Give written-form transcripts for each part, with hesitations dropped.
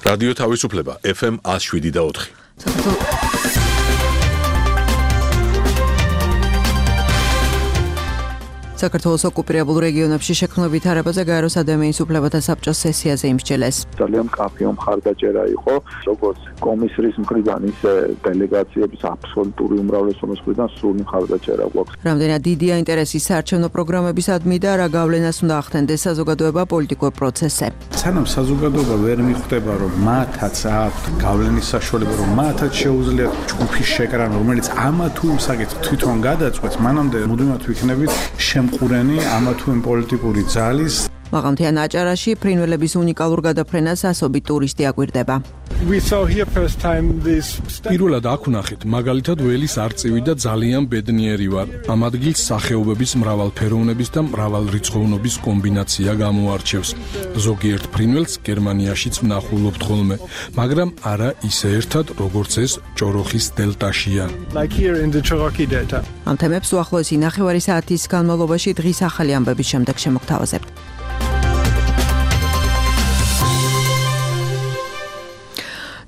რადიო თავისუფლება FM 107.4. საქართველოს ოკუპირებულ რეგიონებში შექმნილ ვითარებაზე გაეროს ადამიანის უფლებათა საბჭოს სესიაზე იმსჯელეს. ძალიან მკაფიო მხარდაჭერა იყო, როგორც კომისრის მხრიდან, ისე დელეგაციების აბსოლუტური უმრავლესობის მხრიდან სრული მხარდაჭერა გვაქვს. რამდენად დიდია ინტერესი საარჩევნო პროგრამებისადმი და რა გავლენას უნდა ახდენდეს საზოგადოება პოლიტიკურ პროცესზე. სანამ საზოგადოება ვერ მიხვდება, რომ მათაც აქვთ გავლენის საშუალება, რომ მათაც შეუძლიათ ჯგუფის შეკრანა, რომელიც ამა თუ იმ საკითხს თვითონ გადაწყვეტს, მანამდე მუდმივად ვიქნებით ყურენი ამა თუ იმ პოლიტიკური ძალის მაღალმთიან აჭარაში ფრინველების უნიკალურ გადაფრენას ასობით ტურისტი აკვირდება. პირველად აქ ვნახეთ, მაგალითად ველის არწივი და ძალიან ბედნიერი ვარ. ამ ადგილს სახეობების მრავალფეროვნების და მრავალრიცხოვნობის კომბინაცია გამოარჩევს. ზოგიერთ ფრინველს გერმანიაშიც ვნახულობთ ხოლმე, მაგრამ არა ისე ერთად, როგორც ეს ჭოროხის დელტაშია. ამ თემებს უახლოესი ნახევარი საათის განმავლობაში დღის ახალი ამბების შემდეგ შემოგთავაზებთ.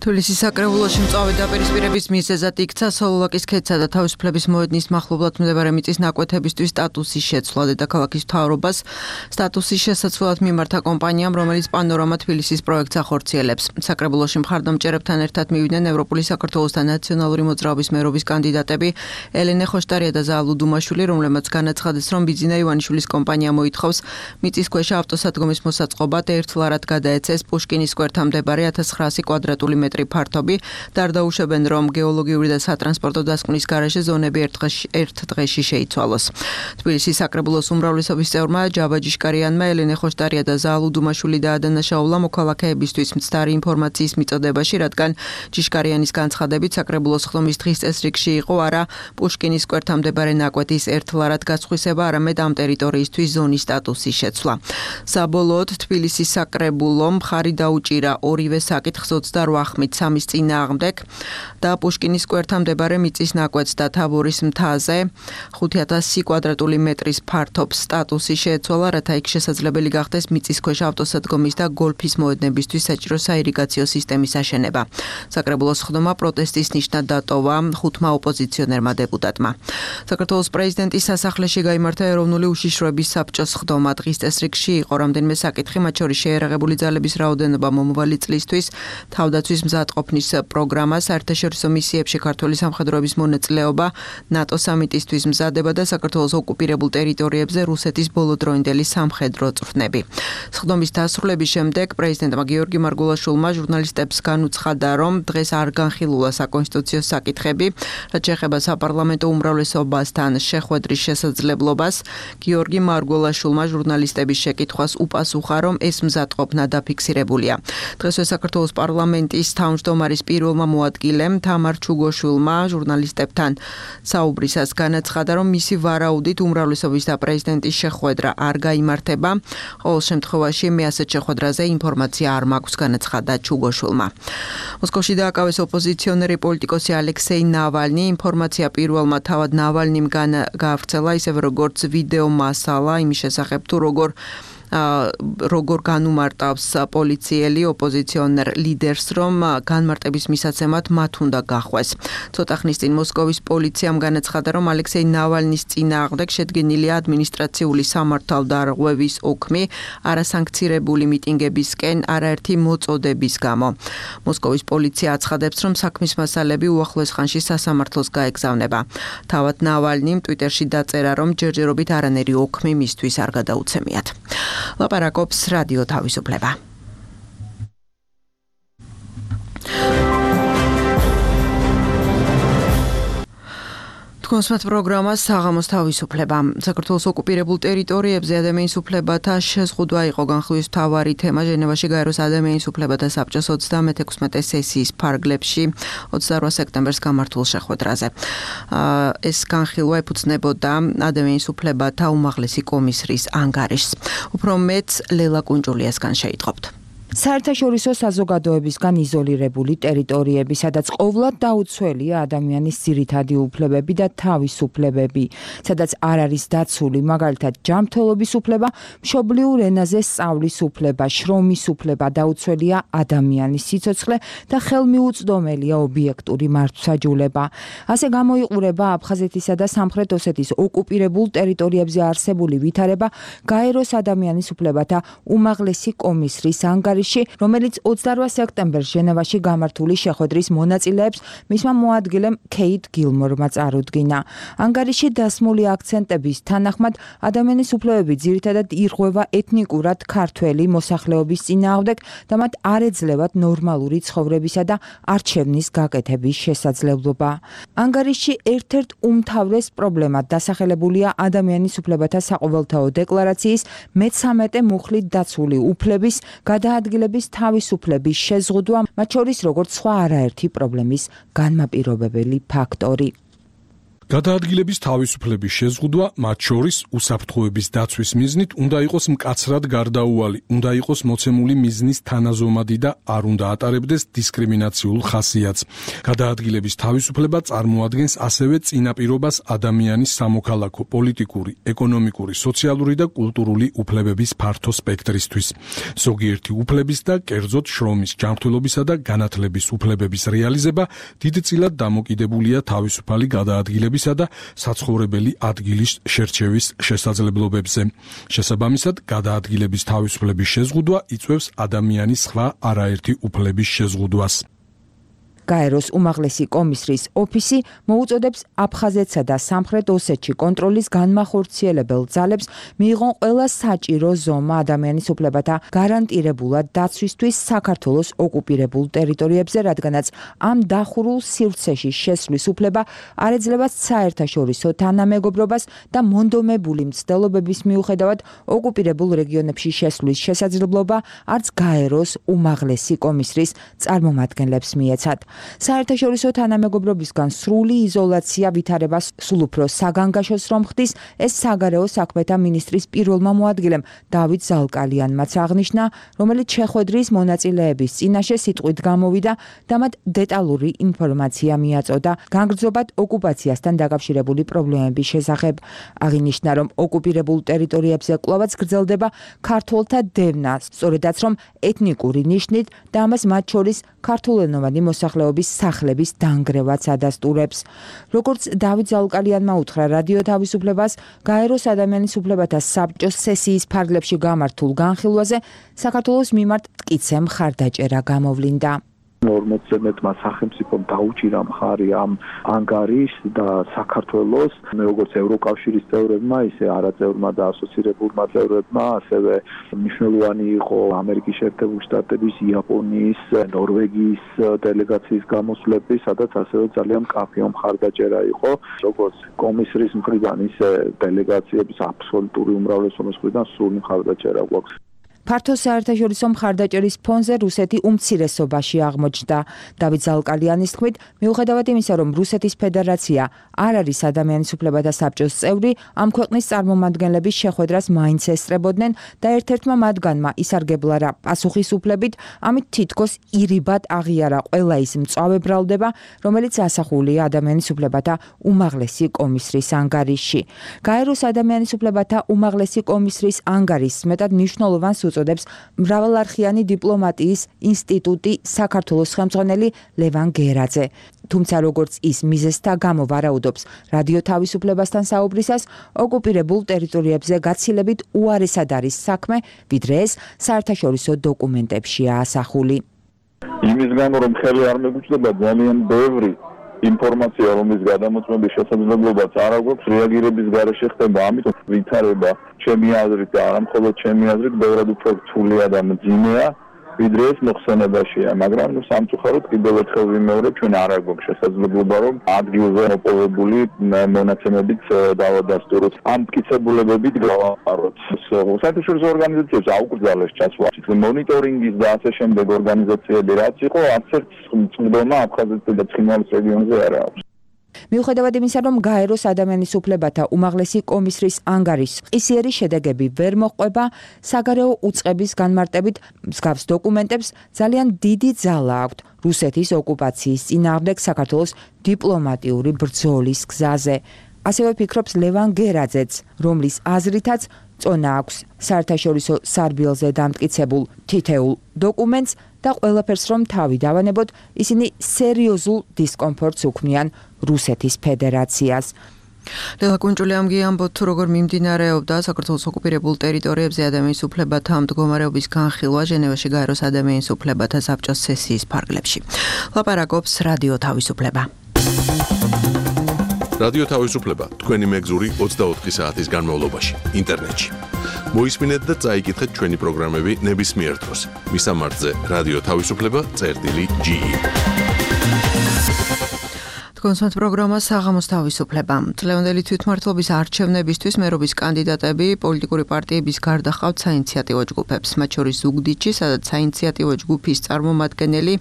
თბილისის საკრებულოში მწვავე დაპირისპირების მიზეზად იქცა სოლოლაკის ქედსა და თავისუფლების მოედნის მახლობლად მდებარე მიწის ნაკვეთებისთვის სტატუსის შეცვლა. დედაქალაქის მთავრობას სტატუსის შესაცვლად მიმართა კომპანიამ, რომელიც პანორამა თბილისის პროექტს ახორციელებს. საკრებულოში მხარდამჭერებთან ერთად მივიდნენ ევროპული საქართველოს და ნაციონალური მოძრაობის მერობის კანდიდატები ელენე ხოშტარია და ზაალუ დუმაშვილი, რომლებმაც განაცხადეს, რომ ბიძინა ივანიშვილის კომპანია მოითხოვს მიწისქვეშა ავტოსადგომის მოსაწყობად ერთლარად გადაეცეს პუშკინის სკვერთან მდებარე 1900 კვადრატული ფართობი. დარდაუშებენ, რომ გეოლოგიური და სატრანსპორტო დასკვნის გარეშე ზონები ერთ დღეში შეიცვალოს. თბილისის საკრებულოს უმრავლესობის წევრმა ჯავა ჯიშკარიანმა ელენე ხოშტარია და ზაალუ დუმაშვილი დაადანაშაულა მოქალაქეებისთვის მცდარი ინფორმაციის მიწოდებაში, რადგან ჯიშკარიანის განცხადებით საკრებულოს ხდომის დღის წესრიგში იყო არა პუშკინის სკვერთანtoire ნაკვეთის ერთლარად გაწხვისება, არამედ ამ ტერიტორიისთვის ზონის სტატუსის შეცვლა. საბოლოოდ თბილისის საკრებულომ მხარი დაუჭირა ორივე საკითხს 28 ხმით 3-ის წინააღმდეგ და პუშკინის სკვერთან მდებარე მიწის ნაკვეთს და თაბორის მთაზე 5100 კვადრატული მეტრის ფართობს სტატუსი შეეცვალა, რათა იქ შესაძლებელი გახდეს მიწისქვეშა ავტოსადგომის და გოლფის მოედნებისთვის საჭირო საირიგაციო სისტემის აშენება. საკრებულოს ხდომა პროტესტის ნიშნად დატოვა 5 ოპოზიციონერმა დეპუტატმა. საქართველოს პრეზიდენტის სასახლეში გაიმართა ეროვნული უშიშროების საბჭოს ხდომა. დღის წესრიგში იყო რამდენიმე საკითხი, მათ შორის შეიარაღებული ძალების რაოდენობა მომავალი წლისთვის, თავდაცვის მზადყოფნის პროგრამა, საერთაშორისო მისიებში ქართული სამხედროების მონაწილეობა, ნატო სამიტისთვის მზადება და საქართველოს ოკუპირებულ ტერიტორიებზე რუსეთის ბოლოდროინდელი სამხედრო წვრთნები. სხდომის დასრულების შემდეგ პრეზიდენტმა გიორგი მარგულაშვილმა ჟურნალისტებს განუცხადა, რომ დღეს არ განხილულა საკონსტიტუციო საკითხები, რაც შეეხება საპარლამენტო უმრავლესობასთან შეხვედრის შესაძლებლობას. გიორგი მარგულაშვილმა ჟურნალისტების შეკითხვას უპასუხა, რომ ეს მზადყოფნა დაფიქსირებულია. დღესვე საქართველოს პარლამენტის თავმჯდომარის პირველმა მოადგილემ თამარ ჩუგოშვილმა ჟურნალისტებთან საუბრისას განაცხადა, რომ მისი ვარაუდით უმრავლესობის და პრეზიდენტის შეხვედრა არ გაიმართება. ყოველ შემთხვევაში მე ასეთ შეხვედრაზე ინფორმაცია არ მაქვს, განაცხადა ჩუგოშვილმა. მოსკოვში დააკავეს ოპოზიციონერი პოლიტიკოსი ალექსეი ნავალნი. ინფორმაცია პირველმა თავად ნავალნიმ გაავრცელა, ისევე როგორც ვიდეო მასალა იმის შესახებ თუ როგორ განუმარტავს პოლიციელი ოპოზიციონერ ლიდერს, რომ განმარტების მისაცემად მათ უნდა გახვეს. ცოტა ხნის წინ მოსკოვის პოლიციამ განაცხადა, რომ ალექსეი ნავალნის წინააღმდეგ შედგენილია ადმინისტრაციული სამართალდარღვევის ოქმი არასანქცირებული მიტინგებისკენ არაერთი მოწოდების გამო. მოსკოვის პოლიცია აცხადებს, რომ საქმის მასალები უახლოეს ხანში სასამართლოს გაეგზავნება. თავად ნავალნიმ ტვიტერში დაწერა, რომ ჯერჯერობით არანაირი ოქმი მისთვის არ გადაუცემიათ. ლაპარაკობს რადიო თავისუფლება. კონსმეთ პროგრამა საღამოს თავისუფლება. საქართველოს ოკუპირებულ ტერიტორიებზე ადამიანის უფლებათა შეზღუდვა იყო განხილვის მთავარი თემა ჟენევაში გაეროს ადამიანის უფლებათა საბჭოს 36 სესიის ფარგლებში 28 სექტემბერს გამართულ შეხვედრაზე. ეს განხილვა ეფუძნებოდა ადამიანის უფლებათა უმაღლესი კომისრის ანგარიშს. უფრო მეტს ლელა კუნჭულიასგან შეიტყობთ. საერთაშორისო საზოგადოებისგან იზოლირებული ტერიტორიები, სადაც ყოვლად დაუცველია ადამიანის ძირითადი უფლებები და თავისუფლებები, სადაც არ არის დაცული, მაგალითად, ჯანმრთელობის უფლება, მშობლიურ ენაზე სწავლის უფლება, შრომის უფლება, დაუცველია ადამიანის სიცოცხლე და ხელმიუწვდომელია ობიექტური მართლმსაჯულება. ასე გამოიყურება აფხაზეთისა და სამხრეთ ოსეთის ოკუპირებულ ტერიტორიებზე არსებული ვითარება გაეროს ადამიანის უფლებათა უმაღლესი კომისრის ანგარიში, რომელიც 28 სექტემბერს ჟენევაში გამართული შეხვედრის მონაწილეებს მისმა მოადგილემ ქეით გილმორმა წარუდგინა. ანგარიში დასმული აქცენტების თანახმად ადამიანის უფლებები ძირითადად ირღვევა ეთნიკურად ქართველი მოსახლეობის წინააღმდეგ და მათ არ ეძლევათ ნორმალური ცხოვრებისა და არჩევნის გაკეთების შესაძლებლობა. ანგარიში ერთ-ერთ უმთავრეს პრობლემად დასახელებულია ადამიანის უფლებათა საყოველთაო დეკლარაციის მე-13 მუხლით დაცული უფლების გადაადგილების თავისუფლების შეზღუდვა, მათ შორის როგორც სხვა არაერთი პრობლემის განმაპირობებელი ფაქტორი. გადაადგილების თავისუფლების შეზღუდვა, მათ შორის უსაფრთხოების დაცვის მიზნით, უნდა იყოს მკაცრად გარდაუვალი, უნდა იყოს მოცემული მიზნის თანაზომადი და არ უნდა ატარებდეს დისკრიმინაციულ ხასიათს. გადაადგილების თავისუფლება წარმოადგენს ასევე წინაპირობას ადამიანის სამოქალაქო, პოლიტიკური, ეკონომიკური, სოციალური და კულტურული უფლებების ფართო სპექტრისთვის. ზოგიერთი უფლების და კერძოდ შრომის, ჯანმრთელობისა და განათლების უფლებების რეალიზება დიდწილად დამოკიდებულია თავისუფალი გადაადგილების და საცხოვრებელი ადგილის შერჩევის შესაძლებლობებზე. შესაბამისად, გადაადგილების თავისუფლების შეზღუდვა იწვევს ადამიანის სხვა არაერთი უფლების შეზღუდვას. გაეროს უმაღლესი კომისრის ოფისი მოუწოდებს აფხაზეთსა და სამხრეთ ოსეთში კონტროლის განმახორციელებელ ძალებს მიიღონ ყველა საჭირო ზომა ადამიანის უფლებათა გარანტირებულად დაცვისთვის საქართველოს ოკუპირებულ ტერიტორიებზე, რადგანაც ამ დახურულ სივრცეში შესვლის უფლება არ ეძლევა საერთაშორისო თანამეგობრობას და მონდომებული მცდელობების მიუხედავად ოკუპირებულ რეგიონებში შესვლის შესაძლებლობა არც გაეროს უმაღლესი კომისრის წარმომადგენლებს მიეცათ. საერთაშორისო თანამეგობრობისგან სრული იზოლაცია ვითარებას სულ უფრო საგანგაშოს რომ ხდის, ეს საგარეო საქმეთა მინისტრის პირველმა მოადგილემ დავით ზალკალიანმაც აღნიშნა, რომელიც შეხვედრის მონაწილეების წინაშე სიტყვით გამოვიდა და მათ დეტალური ინფორმაცია მიაწოდა განგრძობად ოკუპაციასთან დაკავშირებული პრობლემების შესახებ. აღინიშნა, რომ ოკუპირებულ ტერიტორიებზე კვლავაც გრძელდება ქართველთა დევნა, სწორედაც რომ ეთნიკური ნიშნით და ამას მათ შორის ქართულენოვანი მოსახლეობის სახლების დანგრევაც ადასტურებს. როგორც დავით ზალკალიანმა უთხრა რადიო თავისუფლებას, გაეროს ადამიანის უფლებათა საბჭოს სესიის ფარგლებში გამართულ განხილვაზე საქართველოს მიმართ მტკიცე მხარდაჭერა გამოვლინდა. 40-ზე მეტმა სახელმწიფომ დაუჭირა მხარი ამ ანგარის და საქართველოს როგორც ევროკავშირის წევრებმა, ისე არაწევრმა და ასოცირებულმა წევრებმა, ასევე მნიშვნელოვანი იყო ამერიკის შეერთებული შტატების, იაპონიის, ნორვეგიის დელეგაციის გამოსვლები, სადაც ასევე ძალიან მკაფიო მხარდაჭერა იყო, როგორც კომისრის მხრიდან, ისე დელეგაციების აბსოლუტური უმრავლესობის მხრიდან სრული მხარდაჭერა გვაქვს. ფართო საერთაშორისო მხარდაჭერის ფონზე რუსეთი უმცირესობაში აღმოჩნდა. დავით ზალკალიანის თქმით, მიუხედავად იმისა, რომ რუსეთის ფედერაცია არ არის ადამიანის უფლებათა საბჭოს წევრი, ამ ქვეყნის წარმომადგენლების შეხვედრას მაინც ესწრებოდნენ და ერთ-ერთმა მათგანმა ისარგებლა რა პასუხისუფლებით, ამით თითქოს ირიბად აღიარა ყველა ის მწვავე ბრალდება, რომელიც ასახულია ადამიანის უფლებათა უმაღლესი კომისრის ანგარიში. გაეროს ადამიანის უფლებათა უმაღლესი კომისრის ანგარის მეტად მნიშვნელოვანს უწოდებს მრავალარხიანი დიპლომატიის ინსტიტუტი საქართველოს ხელმძღვანელი ლევან გერაძე. თუმცა როგორც ის მიზეზთა გამო ვარაუდობს რადიო თავისუფლებასთან საუბრისას, ოკუპირებულ ტერიტორიებზე გაცილებით უარესად არის საქმე, ვიდრე ეს საერთაშორისო დოკუმენტებშია ასახული. იმის გამო რომ ხელი არ მეგუწდება ძალიან ბევრი ინფორმაცია, რომლის გადამოწმების შესაძლებლობაც არ აქვს, რეაგირების გარეშე ხდება, ამიტომ ვითარება ჩემი აზრით და არა მხოლოდ ჩემი აზრით, ბევრად უფრო რთულია და მძიმეა, ვიდრე ეს მოხსენებაშია, მაგრამ სამწუხაროდ კიდევ ერთხელ ვიმეორებ, ჩვენ არ გვაქვს შესაძლებლობა, რომ ადგილზე მოპოვებული მონაცემებით დავადასტუროთ, ამ მტკიცებულებებით გავაყაროთ. საერთაშორისო ორგანიზაციებს აუკრძალეს ჩასვლა, მონიტორინგის და ასე შემდეგ ორგანიზაციები რაც იყო, არც ერთ წყდომა აფხაზეთსა და ცხინვალის რეგიონზე არ აქვს. მიუხედავად იმისა, რომ გაეროს ადამიანის უფლებათა უმაღლესი კომისრის ანგარის ყისიერი შედეგები ვერ მოჰყვება, საგარეო უწყების განმარტებით მსგავს დოკუმენტებს ძალიან დიდი ძალა აქვთ რუსეთის ოკუპაციის წინააღმდეგ საქართველოს დიპლომატიური ბრძოლის გზაზე. ასევე ფიქრობს ლევან გერაძეც, რომლის აზრითაც წონა აქვს საერთაშორისო სარბიელზე დამტკიცებულ თითეულ დოკუმენტს და ყველაფერს რომ თავი დავანებოთ, ისინი სერიოზულ დისკომფორტს უქმნიან რუსეთის ფედერაციას. ლელა კუნჭულიამ გიამბოთ, თუ როგორ მიმდინარეობდა საქართველოს ოკუპირებულ ტერიტორიებზე ადამიანის უფლებათა მდგომარეობის განხილვა ჟენევაში გაეროს ადამიანის უფლებათა საბჭოს სესიის ფარგლებში. ლაპარაკობს რადიო თავისუფლება. რადიო თავისუფლება თქვენი მეგზური 24 საათის განმავლობაში ინტერნეტში. მოისმინეთ და წაიკითხეთ ჩვენი პროგრამები ნებისმიერ დროს. მისამართზე რადიო თავისუფლება.ge. კონსულტ პროგრამა საღამოს თავისუფლება. წლევანდელი თვითმმართველობის არჩევნებისთვის მერობის კანდიდატები პოლიტიკური პარტიების გარდა ჰყავთ საინიციატივო ჯგუფებს, მათ შორის ზუგდიდში, სადაც საინიციატივო ჯგუფის წარმომადგენელი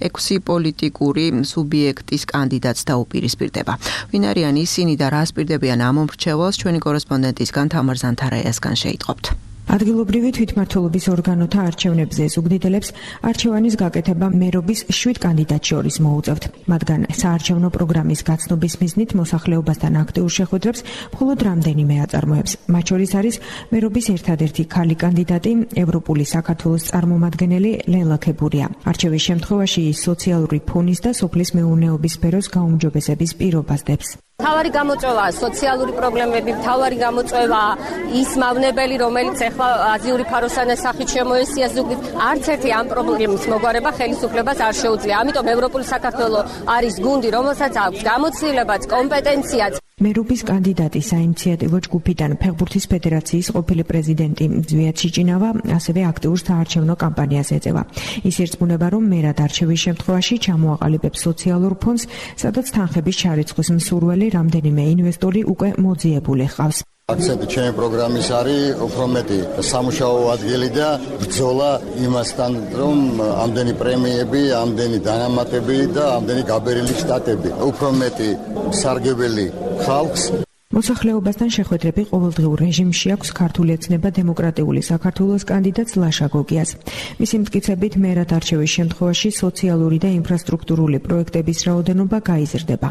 6 პოლიტიკური სუბიექტის კანდიდატს დაუპირისპირდება. ვინ არიან ისინი და რა ასპირდებიან ამ მომრჩეველს, ჩვენი კორესპონდენტისგან თამარ ზანთარაიასგან შეიტყობთ. ადგილობრივი თვითმმართველობის ორგანოთა არჩევნებზე ზუგდიდელებს არჩევანის გაკეთება მერობის 7 კანდიდატს შორის მოუწევთ. მათგან საარჩევნო პროგრამის გაცნობის მიზნით მოსახლეობასთან აქტიურ შეხვედრებს მხოლოდ რამდენიმე აწარმოებს. მათ შორის არის მერობის ერთადერთი ქალი კანდიდატი, ევროპული საქართველოს წარმომადგენელი ლელა ქებურია. არჩევის შემთხვევაში ის სოციალური ფონის და სოფლის მეურნეობის სფეროს გაუმჯობესების პირობას დებს. მთავარი გამოწვევაა სოციალური პრობლემები, მთავარი გამოწვევაა ის მავნებელი, რომელიც ახლა აზიური ფაროსანას სახით შემოესია ზუგდიდ. არც ერთი ამ პრობლემის მოგვარება ხელისუფლებას არ შეუძლია. ამიტომ ევროპული საქართველო არის გუნდი, რომელსაც აქვს გამოცდილებაც, კომპეტენციაც. მერობის კანდიდატი საინიციატივო ჯგუფიდან ფეხბურთის ფედერაციის ყოფილი პრეზიდენტი ზვიად ჩიჭინავა ასევე აქტიურ საარჩევნო კამპანიას ეწევა. ის ირწმუნება, რომ მერად არჩევის შემთხვევაში ჩამოაყალიბებს სოციალურ ფონდს, სადაც თანხების ჩარიცხვის მსურველი რამდენიმე ინვესტორი უკვე მოძიებული ჰყავს. აქცენტი ჩემი პროგრამის არის უფრო მეტი სამუშაო ადგილი და ბრძოლა იმასთან, რომ ამდენი პრემიები, ამდენი დანამატები და ამდენი გაბერილი შტატები, უფრო მეტი სარგებელი ხალხს. მოსახლეობასთან შეხვედრები ყოველდღიურ რეჟიმში აქვს ქართული ოცნება დემოკრატიული საქართველოს კანდიდატს ლაშა გოგიას. მისი მტკიცებით, მერად არჩევის შემთხვევაში სოციალური და ინფრასტრუქტურული პროექტების რაოდენობა გაიზრდება.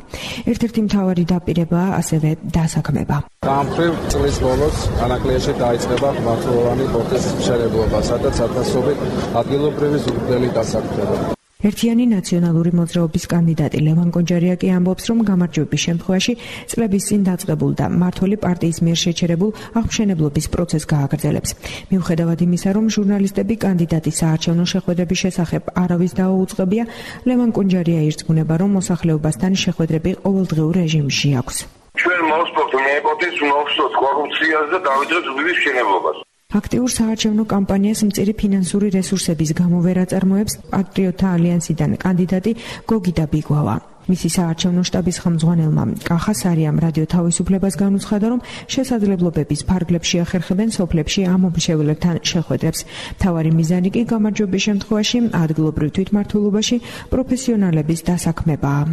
ერთ-ერთი მთავარი დაპირებაა ასევე დასაქმება. გამხრივ წლის ბოლოს ანაკლიაში დაიწყება მართლოვანი პროცესის მშენებლობა, სადაც ათასობით ადგილობრივი ზუგდიდელი დასაქმდება. ერთიანი ნაციონალური მოძრაობის კანდიდატი ლევან კონჯარია კი ამბობს, რომ გამარჯვების შემთხვევაში წლების წინ დაწყებულ და მმართველი პარტიის მიერ შეჩერებულ აღმშენებლობის პროცესს გააგრძელებს. მიუხედავად იმისა, რომ ჟურნალისტები კანდიდატის საარჩევნო შეხვედრების შესახებ არავის დაუწყებია, ლევან კონჯარია ირწმუნება, რომ მოსახლეობასთან შეხვედრები ყოველდღიურ რეჟიმში აქვს. ჩვენ მოვსწრებთ მეპოთის ნოვსოთ კორუფციას და დავიწყებთ ზუგდიდის მშენებლობას. აქტიურ საარჩევნო კამპანიას მწირი ფინანსური რესურსების გამო ვერ აწარმოებს პატრიოტთა ალიანსიდან კანდიდატი გოგიდა ბიგვავა. მისი საარჩევნო შტაბის ხელმძღვანელმა კახა სარიამ რადიო თავისუფლებას განუცხადა, რომ შესაძლებლობების ფარგლებში ახერხებენ სოფლებში ამ მომრჩეველებთან შეხვედრებს. მთავარი მიზანი კი გამარჯვების შემთხვევაში ადგილობრივ თვითმმართველობაში პროფესიონალების დასაქმებაა.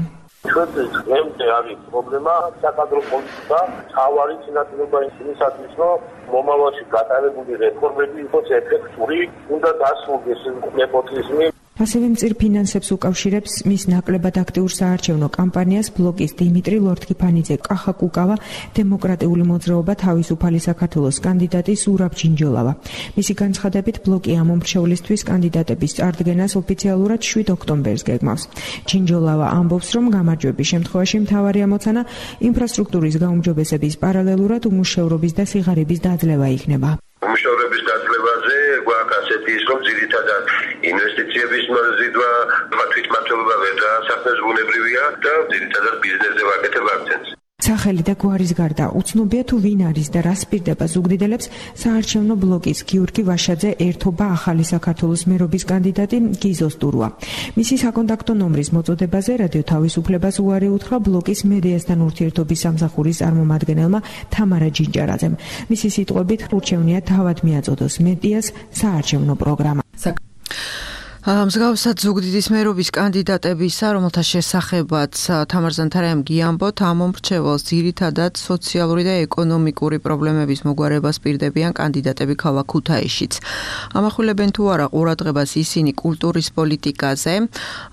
ჩვენთვის დღემდე არის პრობლემა საკადრო პოლიტიკა, თავარი წინასწარ იმისათვის, რომ მომავალში გატარებული რეფორმები იყოს ეფექტური, უნდა დასრულდეს ნეპოტიზმი. ასევე მწირ ფინანსებს უკავშირებს მის ნაკლებად აქტიურ საარჩევნო კამპანიას ბლოკის დიმიტრი ლორთქიფანიძე, კახა კუკავა, დემოკრატიული მოძრაობა თავისუფალი საქართველოს კანდიდატი სურაბ ჯინჯოლავა. მისი განცხადებით, ბლოკი ამ მომრჩევლისთვის კანდიდატების წარდგენას ოფიციალურად 7 ოქტომბერს გეგმავს. ჯინჯოლავა ამბობს, რომ გამარჯვების შემთხვევაში მთავარი ამოცანა ინფრასტრუქტურის გაუმჯობესების პარალელურად უმუშევრობის და სიღარიბის დაძლევა იქნება. უმუშევრობის დაძლებაზე გვაქვს ასეთი ის, რომ ძირითადად ინვესტიციების მოზიდვა, თვითმმართველობა ვერ დაასახმეს ბუნებრივია და ძირითადად ბიზნესზე ვაკეთებ აქცენტს. სახელი და გვარის გარდა უცნობია თუ ვინ არის და რა სპირდება ზუგდიდელებს საარჩევნო ბლოკის გიორგი ვაშაძე ერთობა ახალი საქართველოს მერობის კანდიდატი გიზო სტურვა. მისი საკონტაქტო ნომრის მოწოდებაზე რადიო თავისუფლებას უარი უთხრა ბლოკის მედიასთან ურთიერთობის სამსახურის წარმომადგენელმა თამარა ჯინჯარაძემ. მისი სიტყვებით, ურჩევნია თავად მიაწოდოს მედიას საარჩევნო პროგრამა. მსგავსად ზუგდიდის მერობის კანდიდატებისა, რომელთა შესახებაც თამარ ზანთარაიამ გიამბოთ, ამ მომრჩეველს ძირითადად სოციალური და ეკონომიკური პრობლემების მოგვარებას პირდებიან კანდიდატები ქალაქ ქუთაისშიც. ამახვილებენ თუ არა ყურადღებას ისინი კულტურის პოლიტიკაზე.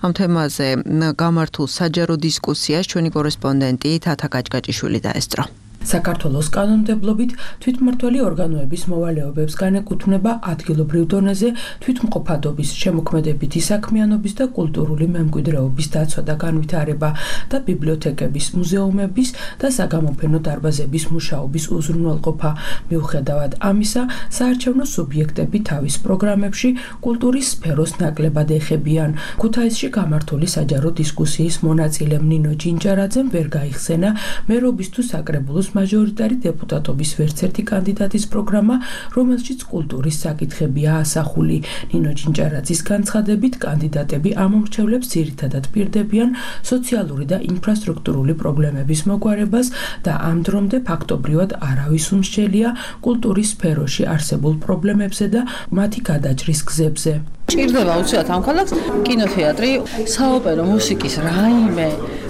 ამ თემაზე გამართულ საჯარო დისკუსიას ჩვენი კორესპონდენტი თათა კაჭკაჭიშვილი დაესწრო. საქართველოს კანონმდებლობით თვითმმართველი ორგანოების მოვალეობებს განეკუთვნება ადგილობრივ დონეზე თვითმყოფადობის, შემოქმედებითი საქმიანობის და კულტურული მემკვიდრეობის დაცვა და განვითარება და ბიბლიოთეკების, მუზეუმების და საგამოფენო დარბაზების მუშაობის უზრუნველყოფა. მიუხედავად ამისა, საარჩევნო სუბიექტები თავის პროგრამებში კულტურის სფეროს ნაკლებად ეხებიან. ქუთაისში გამართული საჯარო დისკუსიის მონაწილემ ნინო ჯინჯარაძემ ვერ გაიხსენა მერობის თუ საკრებულოს მაჟორიტარი დეპუტატობის ვერცერთი კანდიდატის პროგრამა, რომელშიც კულტურის საკითხებია ასახული. ნინო ჯინჯარაძის განცხადებით, კანდიდატები ამომრჩევლებს ძირითადად პირდებიან სოციალური და ინფრასტრუქტურული პრობლემების მოგვარებას და ამ დრომდე ფაქტობრივად არავის უმსჯელია კულტურის სფეროში არსებულ პრობლემებზე და მათი გადაჭრის გზებზე. ჭირდება უცბად ამ ქალაქს კინოთეატრი, საოპერო მუსიკის რაიმე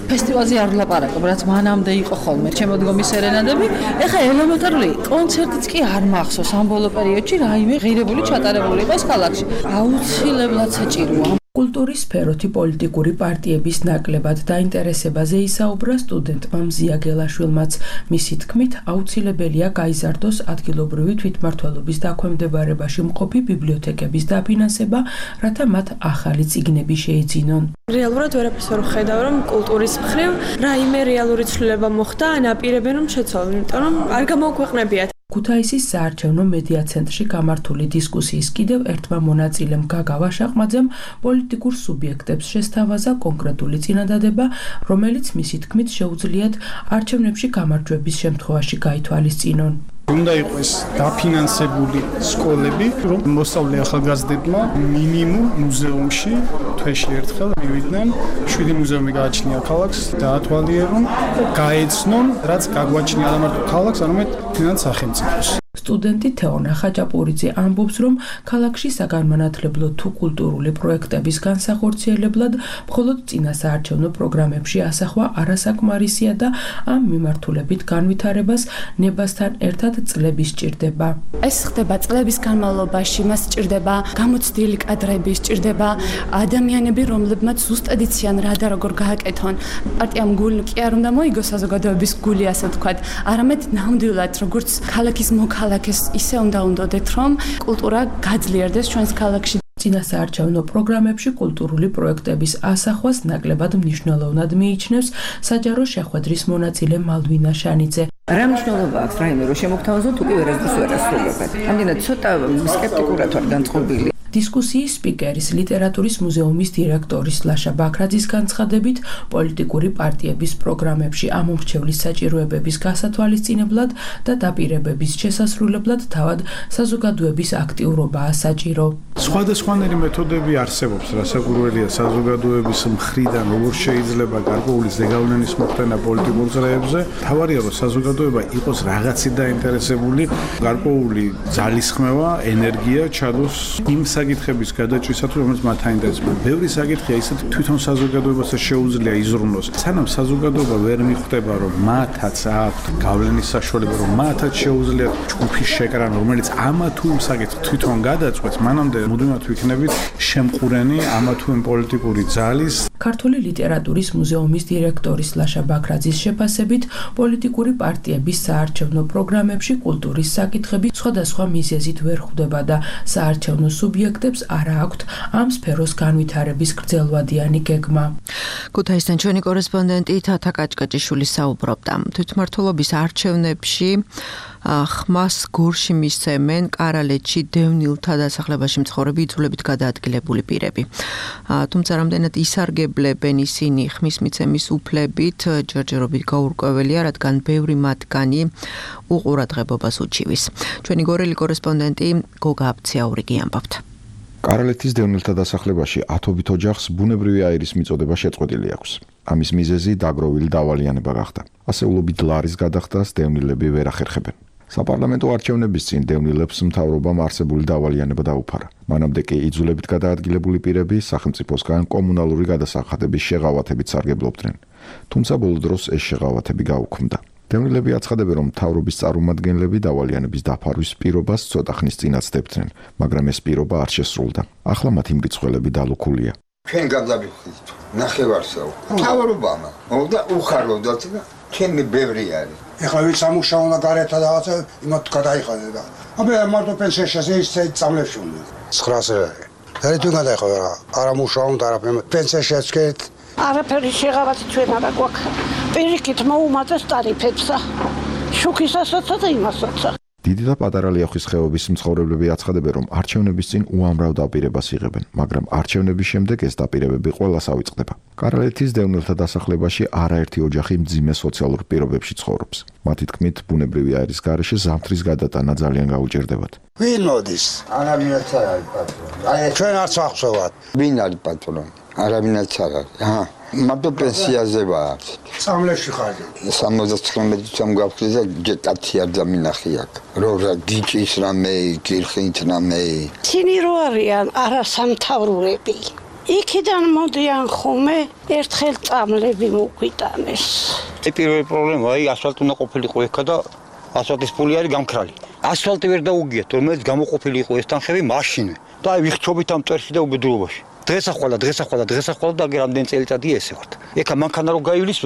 ფესტივალზე არ ვლაპარაკობ, რაც მანამდე იყო ხოლმე ჩემოდგომის სერენადები. ეხლა ელემენტარული კონცერტიც კი არ მახსოვს ამ ბოლო პერიოდში რაიმე ღირებული ჩატარებული იყოს ქალაქში. აუცილებლად საჭიროა. კულტურის სფეროთი პოლიტიკური პარტიების ნაკლებად დაინტერესებაზე ისაუბრა სტუდენტმა მზია გელაშვილმაც. მისი თქმით, აუცილებელია გაიზარდოს ადგილობრივი თვითმმართველობის დაქვემდებარებაში მყოფი ბიბლიოთეკების დაფინანსება, რათა მათ ახალი წიგნები შეეძინონ. რეალურად ვერაფერს ვერ ხედავ, რომ კულტურის მხრივ რაიმე რეალური ცვლილება მოხდა, ან აპირებენ რომ შეცვალონ, იმიტომ რომ არ გამოუქვეყნებიათ. ქუთაისის საარჩევნო მედია ცენტრში გამართული დისკუსიის კიდევ ერთმა მონაწილემ გაგა ვაშაყმაძემ პოლიტიკურ სუბიექტებს შესთავაზა კონკრეტული წინადადება, რომელიც მისი თქმით შეუძლიათ არჩევნებში გამარჯვების შემთხვევაში გაითვალისწინონ. უნდა იყოს დაფინანსებული სკოლები, რომ მოსწავლე ახალგაზრდებმა მინიმუმ მუზეუმში თვეში ერთხელ მივიდნენ, 7 მუზეუმი გააჩნია ქალაქს, დაათვალიერონ, გაეცნონ, რაც გაგვაჩნია არა მარტო ქალაქს, არამედ თუნდაც სახელმწიფოს. სტუდენტი თეონა ხაჭაპურიძე ამბობს, რომ ქალაქში საგანმანათლებლო თუ კულტურული პროექტების განსახორციელებლად მხოლოდ წინა საარჩევნო პროგრამებში ასახვა არასაკმარისია და ამ მიმართულებით განვითარებას ნებასთან ერთად წლები სჭირდება. ეს ხდება წლების განმავლობაში, მას სჭირდება გამოცდილი კადრები, სჭირდება ადამიანები, რომლებმაც ზუსტად იციან რა და როგორ გააკეთონ. პარტიამ გული კი არ უნდა მოიგოს საზოგადოების გული, ასე ვთქვათ, არამედ ნამდვილად როგორც ქალაქის ქალაქის ისე უნდა უნდოდეთ, რომ კულტურა გაძლიერდეს ჩვენს ქალაქში. წინა საარჩევნო პროგრამებში კულტურული პროექტების ასახვას ნაკლებად მნიშვნელოვნად მიიჩნევს საჯარო შეხვედრის მონაწილე მალვინა შანიძე. რა მნიშვნელობა აქვს რაიმე რომ შემოგთავაზოთ უკვე ვერასდროს ვერ ასრულებთ. ამდენად ცოტა სკეპტიკურად ვარ განწყობილი. დისკუსიის სპიკერის ლიტერატურის მუზეუმის დირექტორის ლაშა ბაქრაძის განცხადებით, პოლიტიკური პარტიების პროგრამებში ამომრჩევლის საჭიროებების გასათვალისწინებლად და დაპირებების შესასრულებლად თავად საზოგადოების აქტიურობაა საჭირო. სხვადასხვანაირი მეთოდები არსებობს, რასაკვირველია საზოგადოების მხრიდან როგორ შეიძლება გარკვეული ზეგავლენის მოხდენა პოლიტიკურ წრეებზე. თავარია რომ საზოგადოება იყოს რაღაცით დაინტერესებული, გარკვეული ძალისხმევა, ენერგია ჩადოს იმ საკითხების გადაჭრისათვის, რომელიც მათ აინტერესებს. ბევრი საკითხია ისეთი თვითონ საზოგადოებასაც შეუძლია იზრუნოს. სანამ საზოგადოება ვერ მიხვდება, რომ მათაც აქვთ გავლენის საშუალება, რომ მათაც შეუძლიათ ჯგუფის შეკრანა, რომელიც ამა თუ იმ საკითხს თვითონ გადაწყვეტს, მანამდე მუდმივად ვიქნებით შემყურენი ამა თუ იმ პოლიტიკური ძალის. ქართული ლიტერატურის მუზეუმის დირექტორის ლაშა ბაქრაძის შეფასებით, პოლიტიკური პარტიების საარჩევნო პროგრამებში კულტურის საკითხები სხვადასხვა მიზეზით ვერ ხვდება და საარჩევნო სუბიექტებს არ აქვთ ამ სფეროს განვითარების გრძელვადიანი გეგმა. ქუთაისთან ჩვენი კორესპონდენტი თათა კაჭკაჭიშვილი საუბრობდა. თვითმმართველობის არჩევნებში ხმას გორში მისცემენ კარალეთში დევნილთა დასახლებაში მცხოვრები იძულებით გადაადგილებული პირები. თუმცა რამდენად ისარგებლებენ ისინი ხმის მიცემის უფლებით, ჯერჯერობით გაურკვეველია, რადგან ბევრი მათგანი უყურადღებობას უჩივის. ჩვენი გორელი კორესპონდენტი გოგა აბციაურიგი ამბობთ. კარალეთის დევნილთა დასახლებაში ათობით ოჯახს ბუნებრივი აირის მიწოდება შეწყვეტილი აქვს. ამის მიზეზი დაგროვილი დავალიანება გახდა. ასეულობით ლარის გადახდას დევნილები ვერ ახერხებენ. საპარლამენტო არჩევნების წინ დევნილებს მთავრობამ არსებული დავალიანება დაუფარა. მანამდე კი იძულებით გადაადგილებული პირები სახელმწიფოსგან კომუნალური გადასახადების შეღავათებით სარგებლობდნენ. თუმცა ბოლო დროს ეს შეღავათები გაუქმდა. დევნილები აცხადებენ, რომ მთავრობის წარმომადგენლები დავალიანების დაფარვის პირობას ცოტა ხნის წინ აცდებდნენ, მაგრამ ეს პირობა არ შესრულდა. ახლა მათი მრიცხველები დალუქულია. ჩვენ გადავიხდით ნახევარსაო. მთავრობამ მოვდა უხარლოდათ და ჩემი ბევრი არის. ეხლა ვინც ამუშავა და გარეთ რაღაცა იმათ გადაიხადა და აბა მარტო პენსიაში ის წამლებში უნდა 900 არის. და თუ გადაიხადა არ ამუშავა და არაფერი პენსიაში ეცქეთ არაფერი შეღავათი ჩვენ არა გვაქვს. პირიქით მოუმატეს ტარიფებსა. შუქისასაც და იმასაც. დიდი და პატარა ლიახვის ხეობის მცხოვრებლები აცხადებენ, რომ არჩევნების წინ უამრავ დაპირებას იღებენ, მაგრამ არჩევნების შემდეგ ეს დაპირებები ყველას ავიწყდება. კარალეთის დევნილთა დასახლებაში არაერთი ოჯახი მძიმე სოციალურ პირობებში ცხოვრობს. მათი თქმით, ბუნებრივი აირის გარეშე ზამთრის გადატანა ძალიან გაუჭირდებათ. ვინ მოდის? არავინაც არ არის პატრონი. აი ჩვენ არც ახსოვად. ვინ არის პატრონი? არავინაც არ არის. აჰა. მარტო პენსიაზე ვარ. წამლებში ხარ. 79 წამ გავხდი და ჯეტათი არ დამინახი აქ. რა დიჭის რამე, კირხით რამე. ცინი რო არიან არასამთავროები. იქიდან მოდიან ხომე ერთხელ წამლები მოგვიტანეს. პირველი პრობლემა აი ასფალტი უნდა ყოფილიყო ეხა და ასფალტის ფული არის გამქრალი. ასფალტი ვერ დაუგიათ, რომელიც გამოყოფილიყო ეს თანხები მაშინვე. და აი ვიხჩობით ამ წერში და უბედურობაში. დღესახვალა და რამდენი წელიწადია ესე ვართ. ეხა მანქანა რო გაივლის,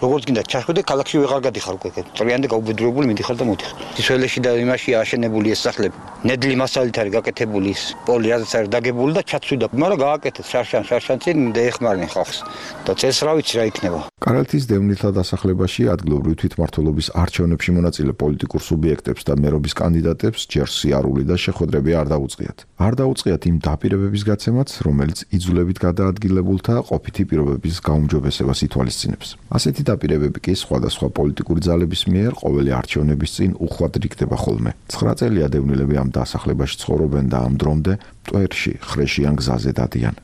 როგორც გინდა ჩახვიდე, ქალაქში ვეღარ გადიხარ უკვე. წრიანდა გაუბედურებული მიდიხარ და მოდიხარ. ისველეში და იმაში აშენებული ეს სახლები. ნედლი მასალით არის გაკეთებული ის პოლი, რაც არის დაგებული და ჩაცვიდა. მაგრამ გააკეთეს შარშან წინ დაეხმარნენ ხალხს. და წელს რა ვიცი რა იქნება. კარალეთის დევნილთა დასახლებაში ადგილობრივი თვითმმართველობის არჩევნებში მონაწილე პოლიტიკურ სუბიექტებს და მერობის კანდიდატებს ჯერ სიარული და შეხვედრები არ დაუწყიათ. არ დაუწყიათ იმ დაპირებების გაცემაც, რომელიც იძულებით გადაადგილებულთა ყოფითი პირობების გაუმჯობესებას ითვალისწინებს. ასეთი დაპირებები კი სხვადასხვა პოლიტიკური ძალების მიერ ყოველი არჩევნების წინ უხვად რიგდება ხოლმე. 9 წელია დევნილები ამ დასახლებაში ცხოვრობენ და ამ დრომდე მტვერში, ხრეშიან გზაზე დადიან.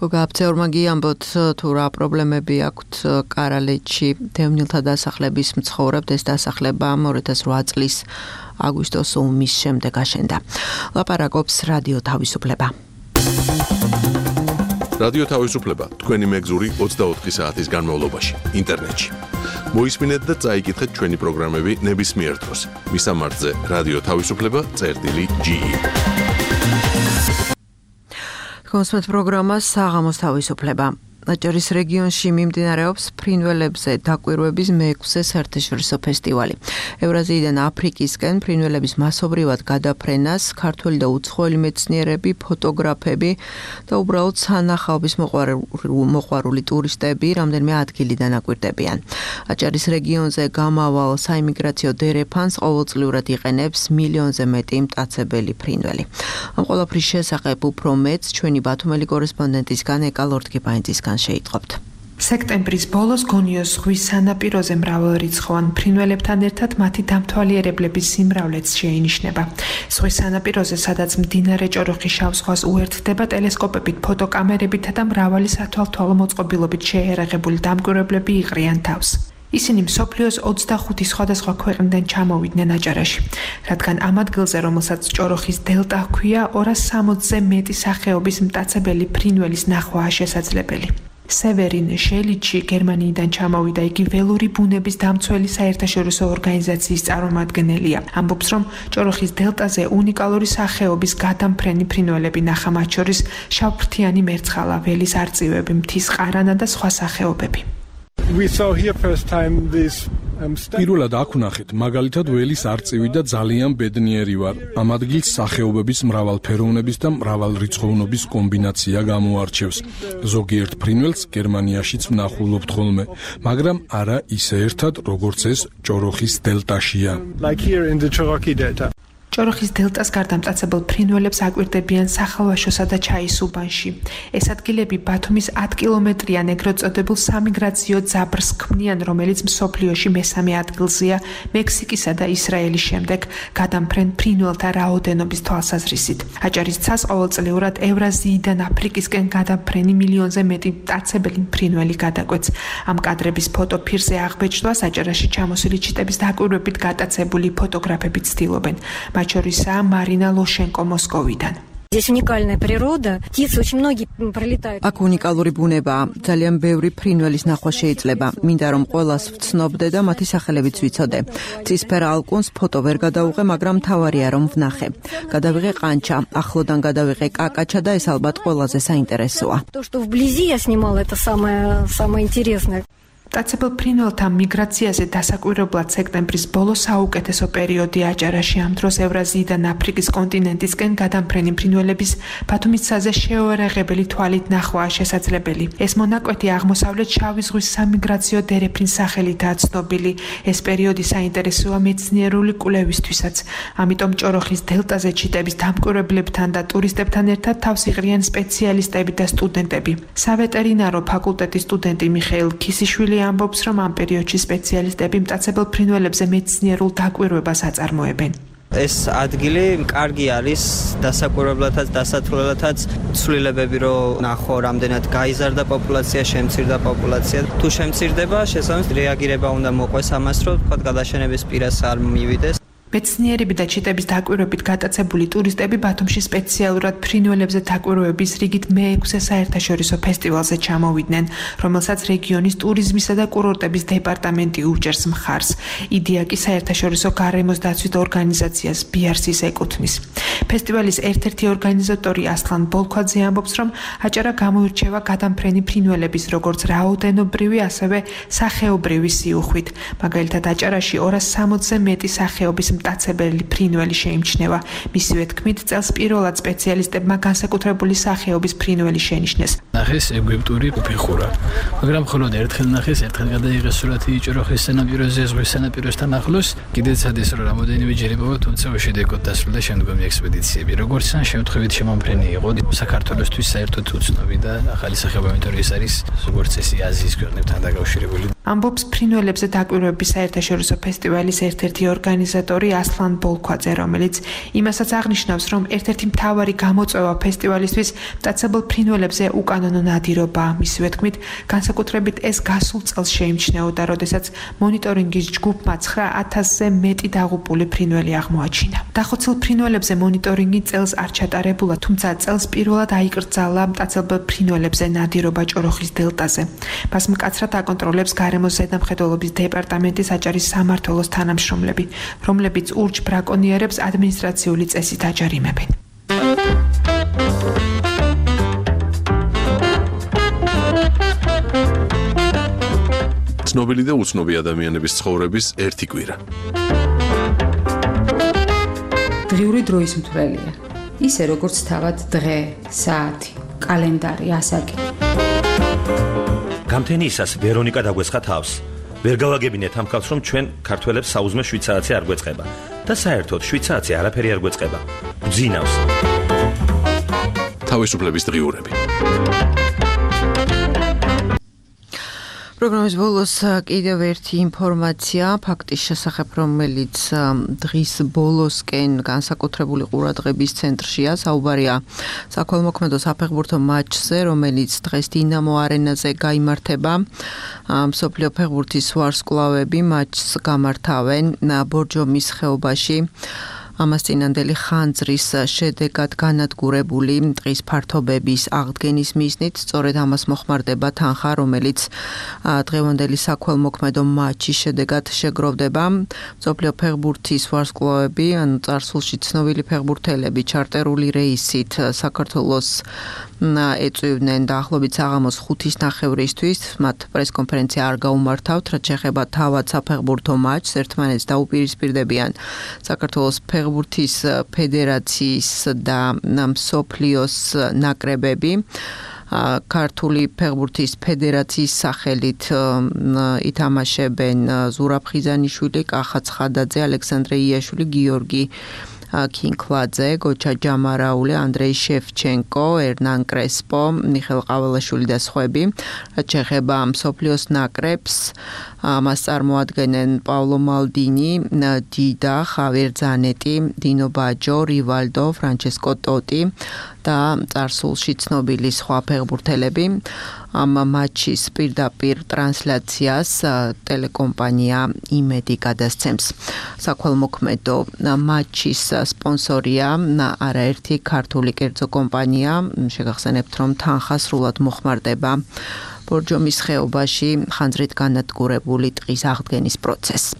გოგა აბცეურმა გიამბოთ თუ რა პრობლემები აქვთ კარალეთში დევნილთა დასახლების მცხოვრებთ ეს დასახლება 2008 წლის აგვისტოს ომის შემდეგ აშენდა. ლაპარაკობს რადიო თავისუფლება. რადიო თავისუფლება თქვენი მეგზური 24 საათის განმავლობაში ინტერნეტში. მოისმინეთ და წაიკითხეთ ჩვენი პროგრამები ნებისმიერ დროს. მისამართზე რადიო თავისუფლება.ge კონსპект პროგრამა საღამოს თავისუფლება. აჭარის რეგიონში მიმდინარეობს ფრინველებზე დაკვირვების მე-6 საერთაშორისო ფესტივალი. ევრაზიიდან აფრიკისკენ ფრინველების მასობრივად გადაფრენას ქართველი და უცხოელი მეცნიერები, ფოტოგრაფები და უბრალოდ სანახაობის მოყვარული ტურისტები რამდენიმე ადგილიდან აკვირდებიან. აჭარის რეგიონზე გამავალ საიმიგრაციო დერეფანს ყოველწლიურად იყენებს მილიონზე მეტი მტაცებელი ფრინველი. ამ ყველაფრის შესახებ უფრო მეტს ჩვენი ბათუმელი კორესპონდენტისგან ეკა ლორთქიფანიძისგან შეიტყობთ. სექტემბრის ბოლოს გონიოს ზღვის სანაპიროზე მრავალრიცხოვან ფრინველებთან ერთად მათი დამთვალიერებლების სიმრავლეც შეინიშნება. ზღვის სანაპიროზე, სადაც მდინარე ჭოროხი შავ ზღვას უერთდება, ტელესკოპებით, ფოტოკამერებითა და მრავალი სათვალთვალო მოწყობილობით შეერაღებული დამკვირვებლები იყრიან თავს. ისინი მსოფლიოს 25 სხვადასხვა ქვეყნიდან ჩამოვიდნენ აჭარაში, რადგან ამ ადგილზე, რომელსაც ჭოროხის დელტა ჰქვია, 260-ზე მეტი სახეობის მტაცებელი ფრინველის ნახვაა შესაძლებელი. სევერინ შელიჩი გერმანიიდან ჩამოვიდა, იგი ველური ბუნების დამცველი საერთაშორისო ორგანიზაციის წარმომადგენელია. ამბობს, რომ ჭოროხის დელტაზე უნიკალური სახეობის გადამფრენი ფრინველები ნახა, მათ შორის შავფრთიანი მერცხალა, ველის არწივები, მთის ყარანა და სხვა სახეობები. პირველად აქ ვნახეთ, მაგალითად ველის არწივი და ძალიან ბედნიერი ვარ. ამ ადგილს სახეობების მრავალფეროვნების და მრავალრიცხოვნობის კომბინაცია გამოარჩევს. ზოგიერთ ფრინველს გერმანიაშიც ვნახულობთ ხოლმე, მაგრამ არა ისე ერთად, როგორც ეს ჭოროხის დელტაშია. ჭოროხის დელტას გარდა მტაცებელ ფრინველებს აკვირდებიან სახალვაშოსა და ჩაის უბანში. ეს ადგილები ბათუმის 10 კილომეტრიან ეგრეთ წოდებულ სამიგრაციო ძაბრს ქმნიან, რომელიც მსოფლიოში მესამე ადგილზეა მექსიკისა და ისრაელის შემდეგ, გადამფრენ ფრინველთა რაოდენობის თვალსაზრისით. აჭარის ცას ყოველწლიურად ევრაზიიდან აფრიკისკენ გადამფრენი მილიონზე მეტი მტაცებელი ფრინველი გადაკვეთს. ამ კადრების ფოტო ფირზე აღბეჭდვას აჭარაში ჩამოსული ჩიტების დაკვირვებით გატაცებული ფოტოგრაფები ცდილობენ. მათ შორისაა მარინა ლოშენკო მოსკოვიდან. Здесь уникальная природа, птицы очень многие пролетают. აქ უნიკალური ბუნებაა, ძალიან ბევრი ფრინველის ნახვა შეიძლება. მინდა რომ ყველას ვცნობდე და მათი სახელებიც ვიცოდე. ცისფერ ალკუნს фото ვერ გადავუღე, მაგრამ თავარია რომ ვნახე. გადავიღე ყანჩა, ახლოდან გადავიღე კაკაჩა და ეს ალბათ ყველაზე საინტერესოა. То, что вблизи я снимала, это самое интересное. მტაცებელ ფრინველთა მიგრაციაზე დასაკვირებლად სექტემბრის ბოლო საუკეთესო პერიოდი აჭარაში. ამ დროს ევრაზიიდან აფრიკის კონტინენტისკენ გადამფრენი ფრინველების ბათუმის ცაზე შეუერაღებელი თვალით ნახვაა შესაძლებელი. ეს მონაკვეთი აღმოსავლეთ შავი ზღვის სამიგრაციო დერეფნის სახელითაა ცნობილი. ეს პერიოდი საინტერესოა მეცნიერული კვლევისთვისაც. ამიტომ ჭოროხის დელტაზე ჩიტების დამკვირვებლებთან და ტურისტებთან ერთად თავს იღრიან სპეციალისტები და სტუდენტები. სავეტერინარო ფაკულტეტის სტუდენტი მიხეილ ქისიშვილი ამბობს, რომ ამ პერიოდში სპეციალისტები მტაცებელ ფრინველებზე მეცნიერულ დაკვირვებას აწარმოებენ. ეს ადგილი კარგი არის დასაკვირვებლათაც, დასათვალელათაც, ცვლილებები რო ნახო, რამდენად გაიზარდა პოპულაცია, შემცირდა პოპულაცია. თუ შემცირდება, შესაბამისად რეაგირება უნდა მოყვეს ამას, რომ თქვა გადაშენების პირას არ მივიდეს. მეცნიერები და ჩიტების დაკვირვებით გატაცებული ტურისტები ბათუმში სპეციალურად ფრინველებზე დაკვირვების რიგით მე-6 საერთაშორისო ფესტივალზე ჩამოვიდნენ, რომელსაც რეგიონის ტურიზმისა და კურორტების დეპარტამენტი უჭერს მხარს. იდეა კი საერთაშორისო გარემოს დაცვით ორგანიზაციას BRC-ს ეკუთვნის. ფესტივალის ერთ-ერთი ორგანიზატორი ასლან ბოლქვაძე ამბობს, რომ აჭარა გამოირჩევა გადამფრენი ფრინველების როგორც რაოდენობრივი, ასევე სახეობრივი სიუხვით. მაგალითად, აჭარაში 260-ზე მეტი სახეობის მტაცებელი ფრინველი შეიმჩნევა. მისივე თქმით, წელს პირველად სპეციალისტებმა განსაკუთრებული სახეობის ფრინველი შენიშნეს. ნახეს ეგვიპტური ფეხურა, მაგრამ მხოლოდ ერთხელ ნახეს, ერთხელ გადაიღეს სურათი ჭოროხის სანაპიროზე, ზღვის სანაპიროსთან ახლოს. კიდეც ადეს რომ რამოდენიმე ჯერ იპოვა, თუმცა უშედეგოდ დასრულდა შემდგომი ექსპედიციები. როგორც ან შემთხვევით შემომფრენი იყო საქართველოსთვის საერთოდ უცნობი და ახალი სახეობა, იმიტომ რომ ეს არის როგორც წესი აზიის ქვეყნებთან დაკავშირებული. ამბობს ფრინველებზე დაკვირვების საერთაშორისო ფესტივალის ერთ-ერთი ორგანიზატორი ასლან ბოლქვაძე, რომელიც იმასაც აღნიშნავს, რომ ერთ-ერთი მთავარი გამოწვევა ფესტივალისთვის მტაცებელ ფრინველებზე უკანონო ნადირობაა. მისივე თქმით, განსაკუთრებით ეს გასულ წელს შეიმჩნეოდა, როდესაც მონიტორინგის ჯგუფმა 9000-ზე მეტი დაღუპული ფრინველი აღმოაჩინა. დახოცილ ფრინველებზე მონიტორინგი წელს არ ჩატარებულა, თუმცა წელს პირველად აიკრძალა მტაცებელ ფრინველებზე ნადირობა ჭოროხის დელტაზე. მას მკაცრად აკონტროლებს გარემოს ზედამხედველობის დეპარტამენტის აჭარის სამმართველოს თანამშრომლები, რომლებიც ურჩ ბრაკონიერებს ადმინისტრაციული წესით აჯარიმებენ. ცნობილი და უცნობი ადამიანების ცხოვრების ერთი კვირა. დღიური დროის მთვრელია. ისე როგორც თავად დღე, საათი, კალენდარი, ასაკი. გამთენიისას ვერონიკა დაგვესხა თავს. ვერ გავაგებინეთ ამ ხალხს, რომ ჩვენ ქართველებს საუზმე 7 საათზე არ გვეწყება და საერთოდ 7 საათზე არაფერი არ გვეწყება. გძინავს. თავისუფლების დღიურები. პროგრამის ბოლოს კიდევ ერთი ინფორმაცია ფაქტის შესახებ, რომელიც დღის ბოლოსკენ განსაკუთრებული ყურადღების ცენტრშია. საუბარია საქველმოქმედო საფეხბურთო მატჩზე, რომელიც დღეს დინამო არენაზე გაიმართება. მსოფლიო ფეხბურთის ვარსკვლავები მატჩს გამართავენ ბორჯომის ხეობაში. ამას წინანდელი ხანძრის შედეგად განადგურებული ტყის ფართობების აღდგენის მიზნით სწორედ ამას მოხმარდება თანხა, რომელიც დღევანდელი საქველმოქმედო მატჩის შედეგად შეგროვდება. მსოფლიო ფეხბურთის ვარსკვლავები, ანუ წარსულში ცნობილი ფეხბურთელები ჩარტერული რეისით საქართველოს ეწვივდნენ დაახლოებით საღამოს 5:30-ისთვის. მათ პრესკონფერენცია არ გაუმართავთ, რაც შეეხება თავად საფეხბურთო მატჩს, ერთმანეთს დაუპირისპირდებიან საქართველოს ფეხბურთის ფედერაციის და მსოფლიოს ნაკრებები. ქართული ფეხბურთის ფედერაციის სახელით ითამაშებენ ზურაბ ხიზანიშვილი, კახა ცხადაძე, ალექსანდრე იაშვილი, გიორგი კინკლაძე, გოჩა ჯამარაული, ანდრეი შეფჩენკო, ერნან კრესპო, მიხელ ყაველაშვილი და სხვები. რაც შეეხება მსოფლიოს ნაკრებს, მას წარმოადგენენ პაულო მალდინი, დიდა, ხავიერ ზანეტი, დინო ბაჯო, რივალდო, ფრანჩესკო ტოტი და წარსულში ცნობილი სხვა ფეხბურთელები. ამ მატჩის პირდაპირ ტრანსლაციას ტელეკომპანია იმედი გადასცემს. საქველმოქმედო მატჩის სპონსორია არაერთი ქართული კერძო კომპანია. შეგახსენებთ, რომ თანხა სრულად მოხმარდება ბორჯომის ხეობაში ხანძრით განადგურებული ტყის აღდგენის პროცესს.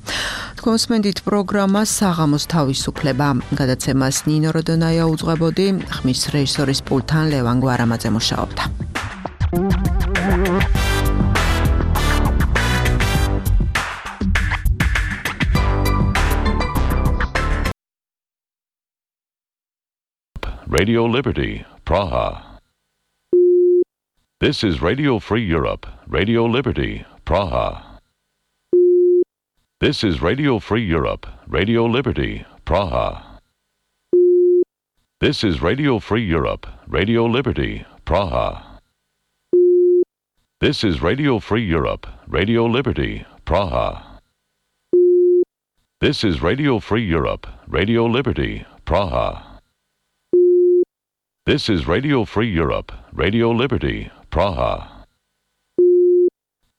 თქვენ უსმენთ პროგრამას საღამოს თავისუფლება. გადაცემას ნინო როდონაია უძღვებოდი, ხმის რეჟისორის პულტთან ლევან გვარამაძე მუშაობდა. Radio Liberty, Praha. This is Radio Free Europe, Radio Liberty, Praha. This is Radio Free Europe, Radio Liberty, Praha. This is Radio Free Europe, Radio Liberty, Praha. This is Radio Free Europe, Radio Liberty, Praha. This is Radio Free Europe, Radio Liberty, Praha. This is Radio Free Europe, Radio Liberty, Praha.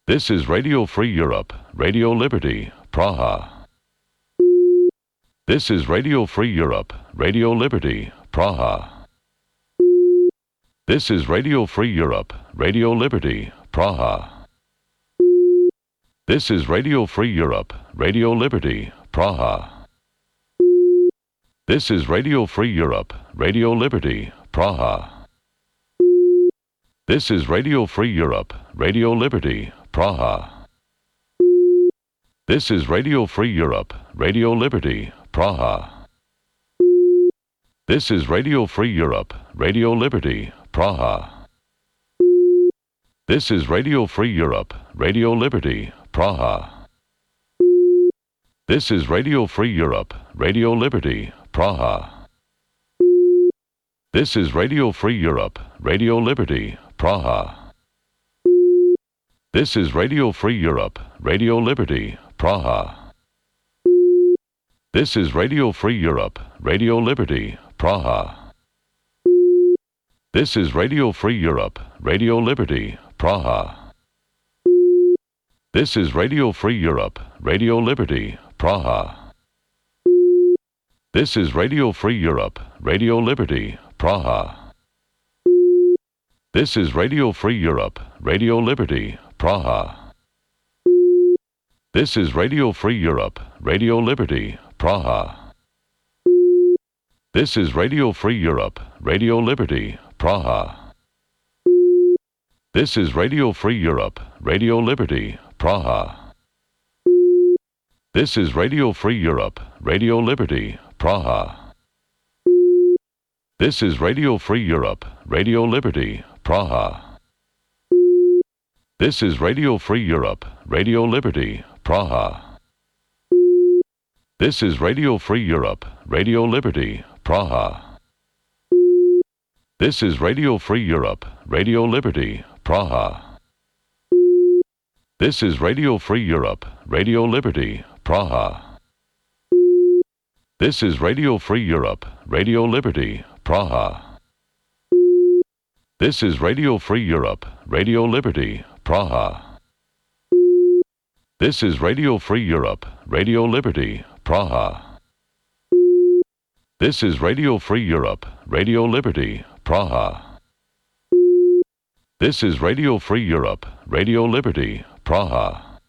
This is Radio Free Europe, Radio Liberty, Praha. This is Radio Free Europe, Radio Liberty, Praha. This is Radio Free Europe, Radio Liberty, Praha. This is Radio Free Europe, Radio Liberty, Praha. This is Radio Free Europe, Radio Liberty, Praha. This is Radio Free Europe, Radio Liberty, Praha. This is Radio Free Europe, Radio Liberty, Praha. This is Radio Free Europe, Radio Liberty, Praha. This is Radio Free Europe, Radio Liberty, Praha. This is Radio Free Europe, Radio Liberty, Praha. This is Radio Free Europe, Radio Liberty, Praha. This is Radio Free Europe, Radio Liberty, Praha. This is Radio Free Europe, Radio Liberty, Praha. This is Radio Free Europe, Radio Liberty, Praha. This is Radio Free Europe, Radio Liberty, Praha. This is Radio Free Europe, Radio Liberty, Praha. This is Radio Free Europe, Radio Liberty, Praha. This is Radio Free Europe, Radio Liberty, Praha. This is Radio Free Europe, Radio Liberty, Praha. This is Radio Free Europe, Radio Liberty, Praha. This is Radio Free Europe, Radio Liberty, Praha. This is Radio Free Europe, Radio Liberty, Praha. This is Radio Free Europe, Radio Liberty, Praha. This is Radio Free Europe, Radio Liberty, Praha. This is Radio Free Europe, Radio Liberty, Praha. This is Radio Free Europe, Radio Liberty, Praha. This is Radio Free Europe, Radio Liberty, Praha. This is Radio Free Europe, Radio Liberty, Praha. This is Radio Free Europe, Radio Liberty, Praha. This is Radio Free Europe, Radio Liberty, Praha. This is Radio Free Europe, Radio Liberty, Praha.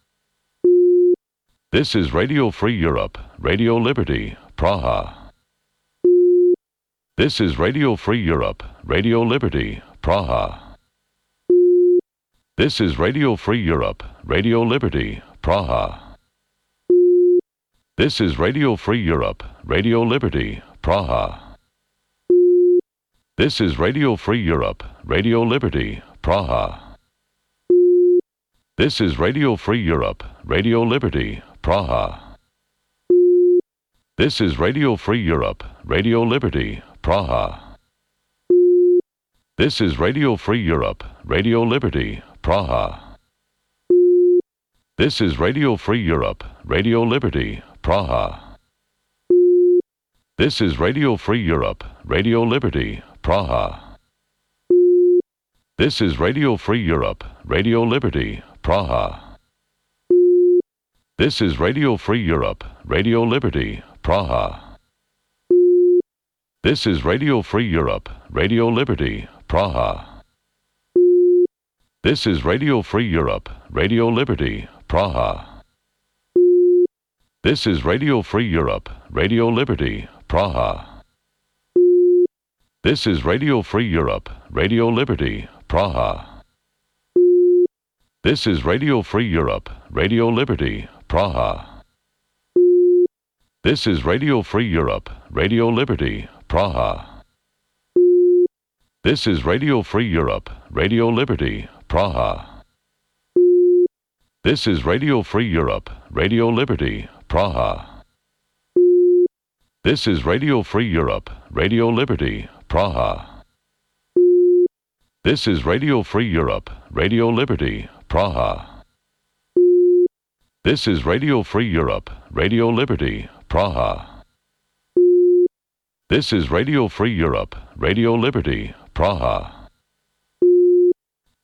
This is Radio Free Europe, Radio Liberty, Praha. This is Radio Free Europe, Radio Liberty, Praha. This is Radio Free Europe, Radio Liberty, Praha. This is Radio Free Europe, Radio Liberty, Praha. This is Radio Free Europe, Radio Liberty, Praha. This is Radio Free Europe, Radio Liberty, Praha. This is Radio Free Europe, Radio Liberty, Praha. This is Radio Free Europe, Radio Liberty, Praha. This is Radio Free Europe, Radio Liberty, Praha. This is Radio Free Europe, Radio Liberty, Praha. This is Radio Free Europe, Radio Liberty, Praha. This is Radio Free Europe, Radio Liberty, Praha. This is Radio Free Europe, Radio Liberty, Praha. This is Radio Free Europe, Radio Liberty, Praha. This is Radio Free Europe, Radio Liberty, Praha. This is Radio Free Europe, Radio Liberty, Praha. This is Radio Free Europe, Radio Liberty, Praha. This is Radio Free Europe, Radio Liberty, Praha. This is Radio Free Europe, Radio Liberty, Praha. This is Radio Free Europe, Radio Liberty, Praha. This is Radio Free Europe, Radio Liberty, Praha. This is Radio Free Europe, Radio Liberty, Praha. This is Radio Free Europe, Radio Liberty, Praha. This is Radio Free Europe, Radio Liberty, Praha.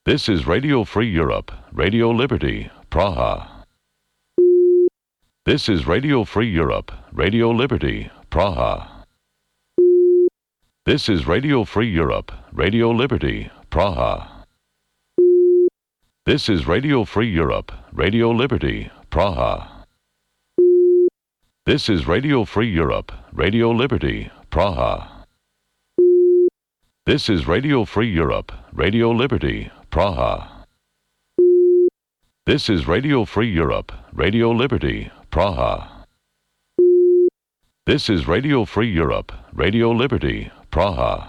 This is Radio Free Europe, Radio Liberty, Praha. This is Radio Free Europe, Radio Liberty, Praha. This is Radio Free Europe, Radio Liberty, Praha. This is Radio Free Europe, Radio Liberty, Praha. This is Radio Free Europe, Radio Liberty, Praha. This is Radio Free Europe, Radio Liberty, Praha. This is Radio Free Europe, Radio Liberty, Praha. This is Radio Free Europe, Radio Liberty, Praha. This is Radio Free Europe, Radio Liberty, Praha.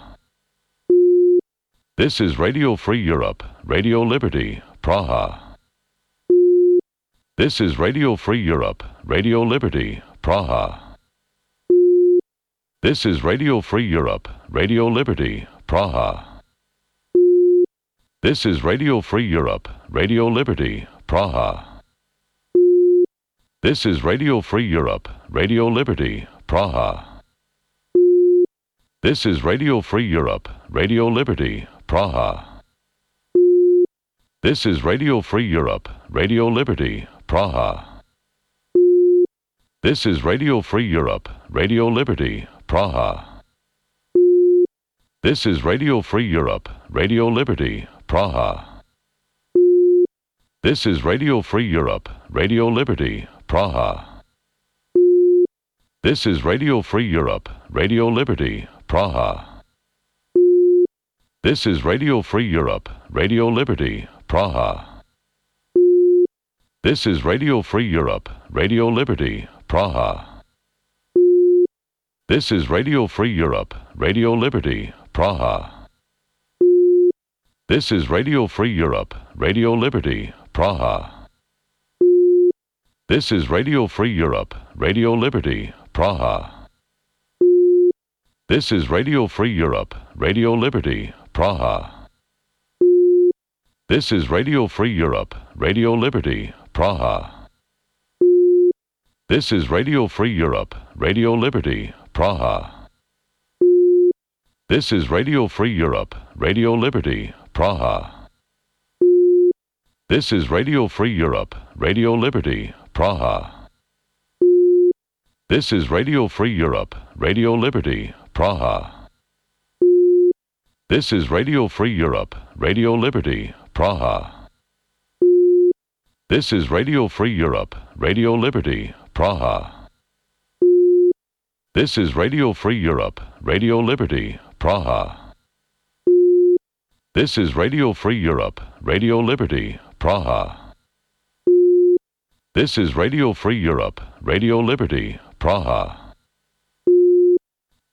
This is Radio Free Europe, Radio Liberty, Praha. This is Radio Free Europe, Radio Liberty, Praha. This is Radio Free Europe, Radio Liberty, Praha. This is Radio Free Europe, Radio Liberty, Praha. This is Radio Free Europe, Radio Liberty, Praha. This is Radio Free Europe, Radio Liberty, Praha. This is Radio Free Europe, Radio Liberty, Praha. This is Radio Free Europe, Radio Liberty, Praha. This is Radio Free Europe, Radio Liberty, Praha. This is Radio Free Europe, Radio Liberty, Praha. This is Radio Free Europe, Radio Liberty, Praha. This is Radio Free Europe, Radio Liberty, Praha. This is Radio Free Europe, Radio Liberty, Praha. This is Radio Free Europe, Radio Liberty, Praha. This is Radio Free Europe, Radio Liberty, Praha. This is Radio Free Europe, Radio Liberty, Praha. This is Radio Free Europe, Radio Liberty, Praha. This is Radio Free Europe, Radio Liberty, Praha. This is Radio Free Europe, Radio Liberty, Praha. This is Radio Free Europe, Radio Liberty, Praha. This is Radio Free Europe, Radio Liberty, Praha. This is Radio Free Europe, Radio Liberty, Praha. This is Radio Free Europe, Radio Liberty, Praha. This is Radio Free Europe, Radio Liberty, Praha. This is Radio Free Europe, Radio Liberty, Praha. This is Radio Free Europe, Radio Liberty, Praha.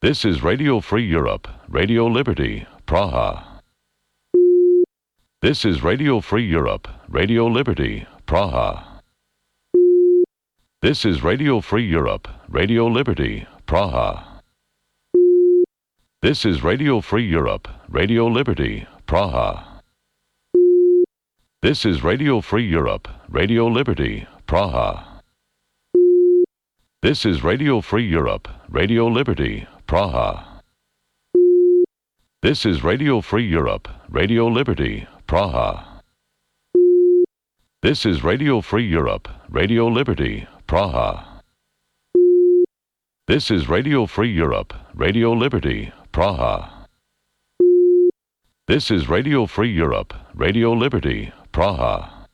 This is Radio Free Europe, Radio Liberty, Praha. This is Radio Free Europe, Radio Liberty, Praha. This is Radio Free Europe, Radio Liberty, Praha. This is Radio Free Europe, Radio Liberty, Praha. This is Radio Free Europe, Radio Liberty, Praha. This is Radio Free Europe, Radio Liberty, Praha. This is Radio Free Europe, Radio Liberty, Praha. This is Radio Free Europe, Radio Liberty, Praha. This is Radio Free Europe, Radio Liberty, Praha. This is Radio Free Europe, Radio Liberty, Praha.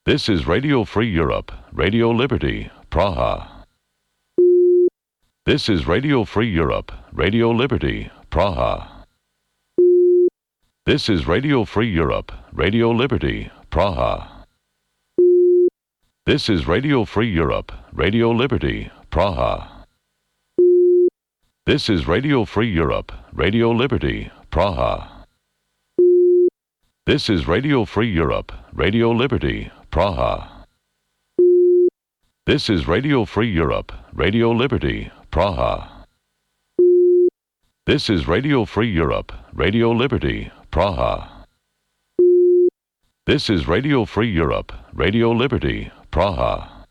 This is Radio Free Europe, Radio Liberty, Praha. This is Radio Free Europe, Radio Liberty, Praha. This is Radio Free Europe, Radio Liberty, Praha. This is Radio Free Europe, Radio Liberty, Praha. This is Radio Free Europe, Radio Liberty, Praha. This is Radio Free Europe, Radio Liberty, Praha. This is Radio Free Europe, Radio Liberty, Praha. This is Radio Free Europe, Radio Liberty, Praha. This is Radio Free Europe, Radio Liberty, Praha.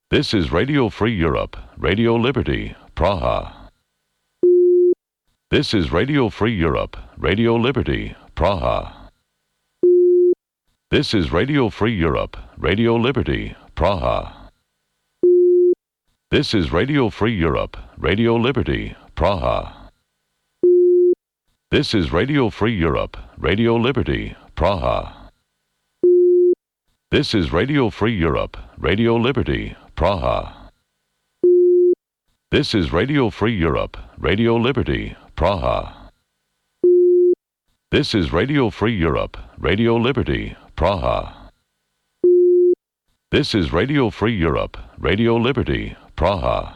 This is Radio Free Europe, Radio Liberty, Praha. This is Radio Free Europe, Radio Liberty, Praha. This is Radio Free Europe, Radio Liberty, Praha. This is Radio Free Europe, Radio Liberty, Praha. This is Radio Free Europe, Radio Liberty, Praha. This is Radio Free Europe, Radio Liberty, Praha. This is Radio Free Europe, Radio Liberty, Praha. This is Radio Free Europe, Radio Liberty, Praha. This is Radio Free Europe, Radio Liberty, Praha.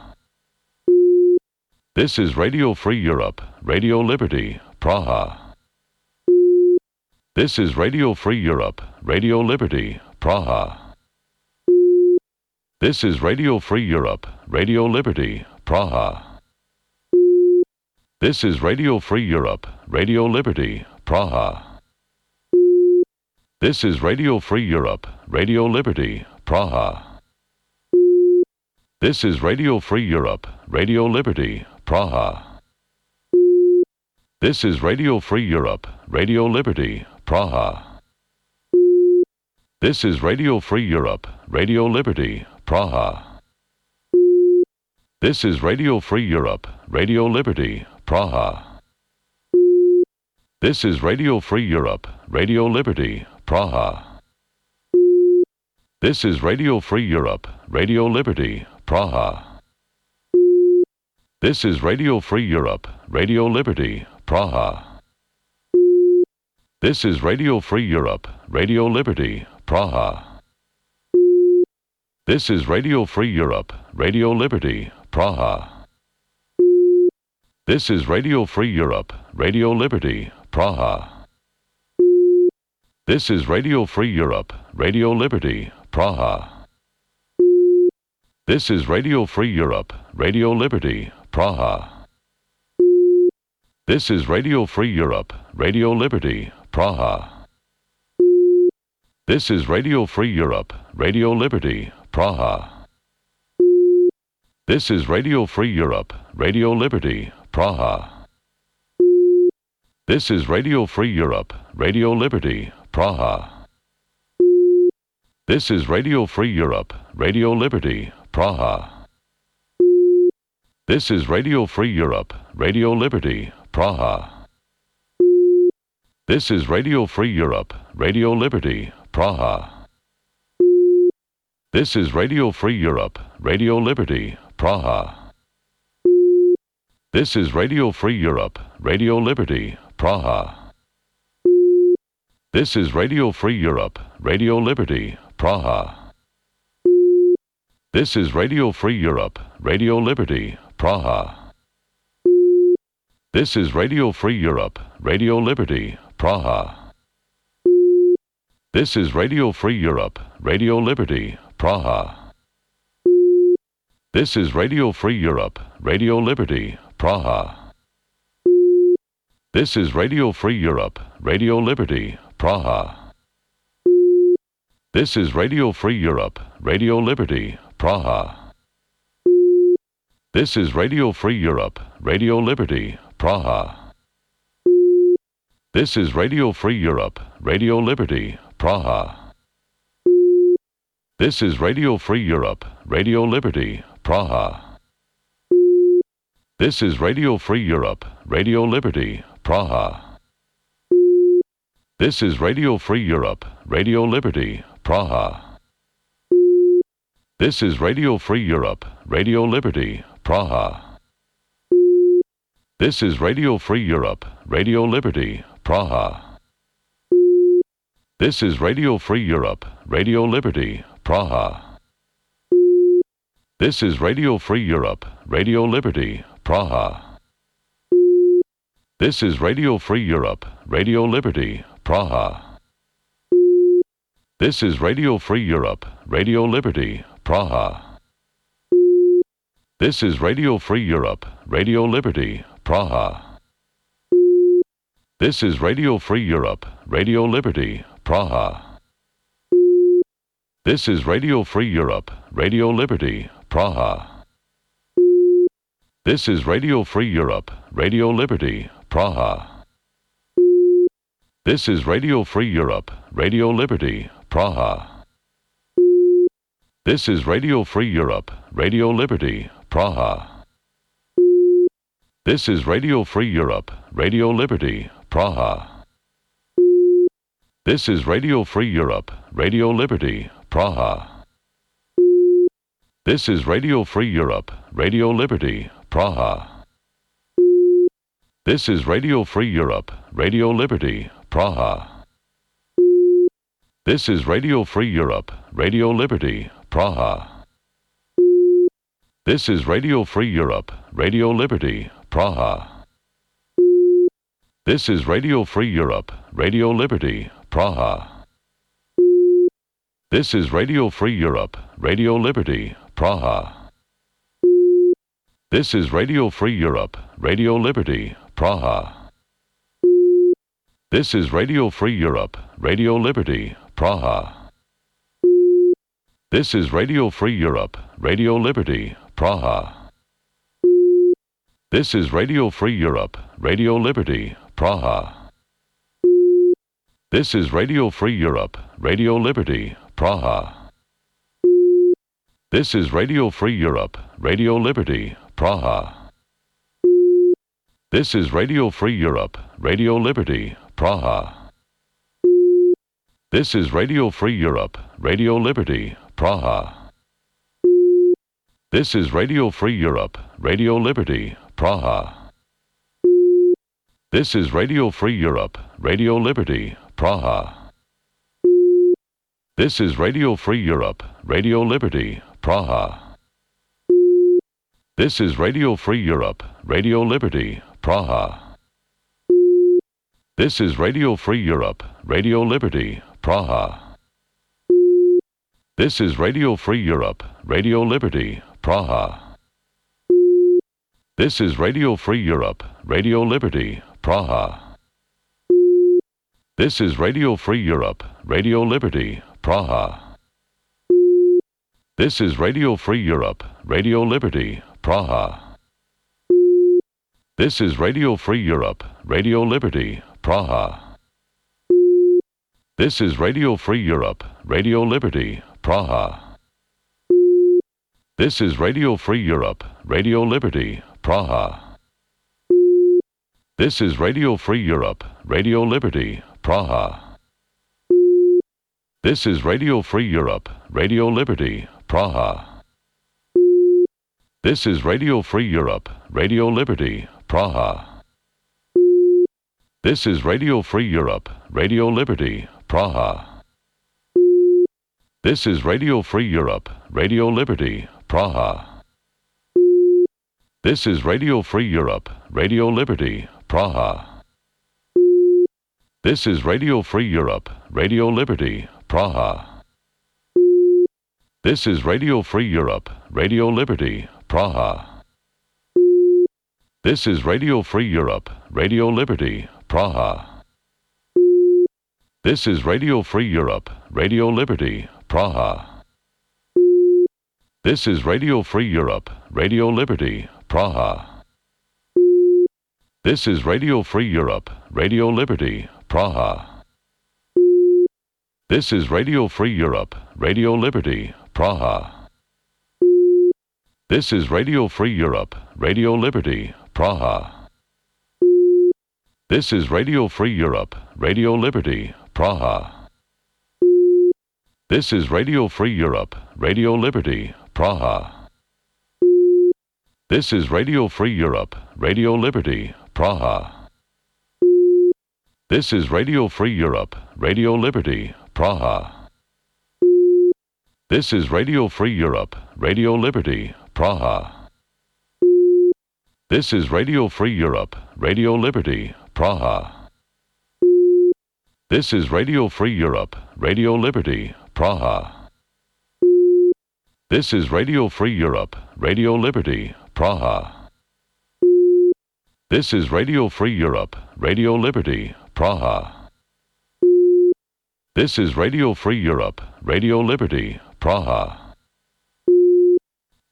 This is Radio Free Europe, Radio Liberty, Praha. This is Radio Free Europe, Radio Liberty, Praha. This is Radio Free Europe, Radio Liberty, Praha. This is Radio Free Europe, Radio Liberty, Praha. This is Radio Free Europe, Radio Liberty, Praha. This is Radio Free Europe, Radio Liberty, Praha. This is Radio Free Europe, Radio Liberty, Praha. This is Radio Free Europe, Radio Liberty, Praha. This is Radio Free Europe, Radio Liberty, Praha. This is Radio Free Europe, Radio Liberty, Praha. This is Radio Free Europe, Radio Liberty, Praha. This is Radio Free Europe, Radio Liberty, Praha. This is Radio Free Europe, Radio Liberty, Praha. This is Radio Free Europe, Radio Liberty, Praha. This is Radio Free Europe, Radio Liberty, Praha. This is Radio Free Europe, Radio Liberty, Praha. This is Radio Free Europe, Radio Liberty, Praha. This is Radio Free Europe, Radio Liberty, Praha. This is Radio Free Europe, Radio Liberty, Praha. This is Radio Free Europe, Radio Liberty, Praha. This is Radio Free Europe, Radio Liberty, Praha. This is Radio Free Europe, Radio Liberty, Praha. This is Radio Free Europe, Radio Liberty, Praha. This is Radio Free Europe, Radio Liberty, Praha. This is Radio Free Europe, Radio Liberty, Praha. This is Radio Free Europe, Radio Liberty, Praha. This is Radio Free Europe, Radio Liberty, Praha. This is Radio Free Europe, Radio Liberty, Praha. This is Radio Free Europe, Radio Liberty, Praha. This is Radio Free Europe, Radio Liberty, Praha. This is Radio Free Europe, Radio Liberty, Praha. This is Radio Free Europe, Radio Liberty, Praha. This is Radio Free Europe, Radio Liberty, Praha. This is Radio Free Europe, Radio Liberty, Praha. This is Radio Free Europe, Radio Liberty, Praha. This is Radio Free Europe, Radio Liberty, Praha. This is Radio Free Europe, Radio Liberty, Praha. This is Radio Free Europe, Radio Liberty, Praha. This is Radio Free Europe, Radio Liberty, Praha. This is Radio Free Europe, Radio Liberty, Praha. This is Radio Free Europe, Radio Liberty, Praha. This is Radio Free Europe, Radio Liberty, Praha. This is Radio Free Europe, Radio Liberty, Praha. This is Radio Free Europe, Radio Liberty, Praha. This is Radio Free Europe, Radio Liberty, Praha. This is Radio Free Europe, Radio Liberty, Praha. This is Radio Free Europe, Radio Liberty, Praha. This is Radio Free Europe, Radio Liberty, Praha. This is Radio Free Europe, Radio Liberty, Praha. This is Radio Free Europe, Radio Liberty, Praha. This is Radio Free Europe, Radio Liberty, Praha. This is Radio Free Europe, Radio Liberty, Praha. This is Radio Free Europe, Radio Liberty, Praha. This is Radio Free Europe, Radio Liberty, Praha. This is Radio Free Europe, Radio Liberty, Praha. This is Radio Free Europe, Radio Liberty, Praha. This is Radio Free Europe, Radio Liberty, Praha. This is Radio Free Europe, Radio Liberty, Praha. This is Radio Free Europe, Radio Liberty, Praha. This is Radio Free Europe, Radio Liberty, Praha. This is Radio Free Europe, Radio Liberty, Praha. This is Radio Free Europe, Radio Liberty, Praha. This is Radio Free Europe, Radio Liberty, Praha. This is Radio Free Europe, Radio Liberty, Praha. This is Radio Free Europe, Radio Liberty, Praha. This is Radio Free Europe, Radio Liberty, Praha. This is Radio Free Europe, Radio Liberty, Praha. This is Radio Free Europe, Radio Liberty, Praha. This is Radio Free Europe, Radio Liberty, Praha. This is Radio Free Europe, Radio Liberty, Praha. This is Radio Free Europe, Radio Liberty, Praha. This is Radio Free Europe, Radio Liberty, Praha. This is Radio Free Europe, Radio Liberty, Praha. This is Radio Free Europe, Radio Liberty, Praha. This is Radio Free Europe, Radio Liberty, Praha. This is Radio Free Europe, Radio Liberty, Praha. This is Radio Free Europe, Radio Liberty, Praha. This is Radio Free Europe, Radio Liberty, Praha. This is Radio Free Europe, Radio Liberty, Praha. This is Radio Free Europe, Radio Liberty, Praha. This is Radio Free Europe, Radio Liberty, Praha. This is Radio Free Europe, Radio Liberty, Praha. This is Radio Free Europe, Radio Liberty, Praha. This is Radio Free Europe, Radio Liberty, Praha. This is Radio Free Europe, Radio Liberty, Praha. This is Radio Free Europe, Radio Liberty, Praha. This is Radio Free Europe, Radio Liberty, Praha. This is Radio Free Europe, Radio Liberty, Praha. This is Radio Free Europe, Radio Liberty, Praha. This is Radio Free Europe, Radio Liberty, Praha. This is Radio Free Europe, Radio Liberty, Praha. This is Radio Free Europe, Radio Liberty, Praha. This is Radio Free Europe, Radio Liberty, Praha. This is Radio Free Europe, Radio Liberty, Praha. This is Radio Free Europe, Radio Liberty, Praha. This is Radio Free Europe, Radio Liberty, Praha. This is Radio Free Europe, Radio Liberty, Praha. This is Radio Free Europe, Radio Liberty, Praha. This is Radio Free Europe, Radio Liberty, Praha. This is Radio Free Europe, Radio Liberty, Praha. This is Radio Free Europe, Radio Liberty, Praha. This is Radio Free Europe, Radio Liberty, Praha.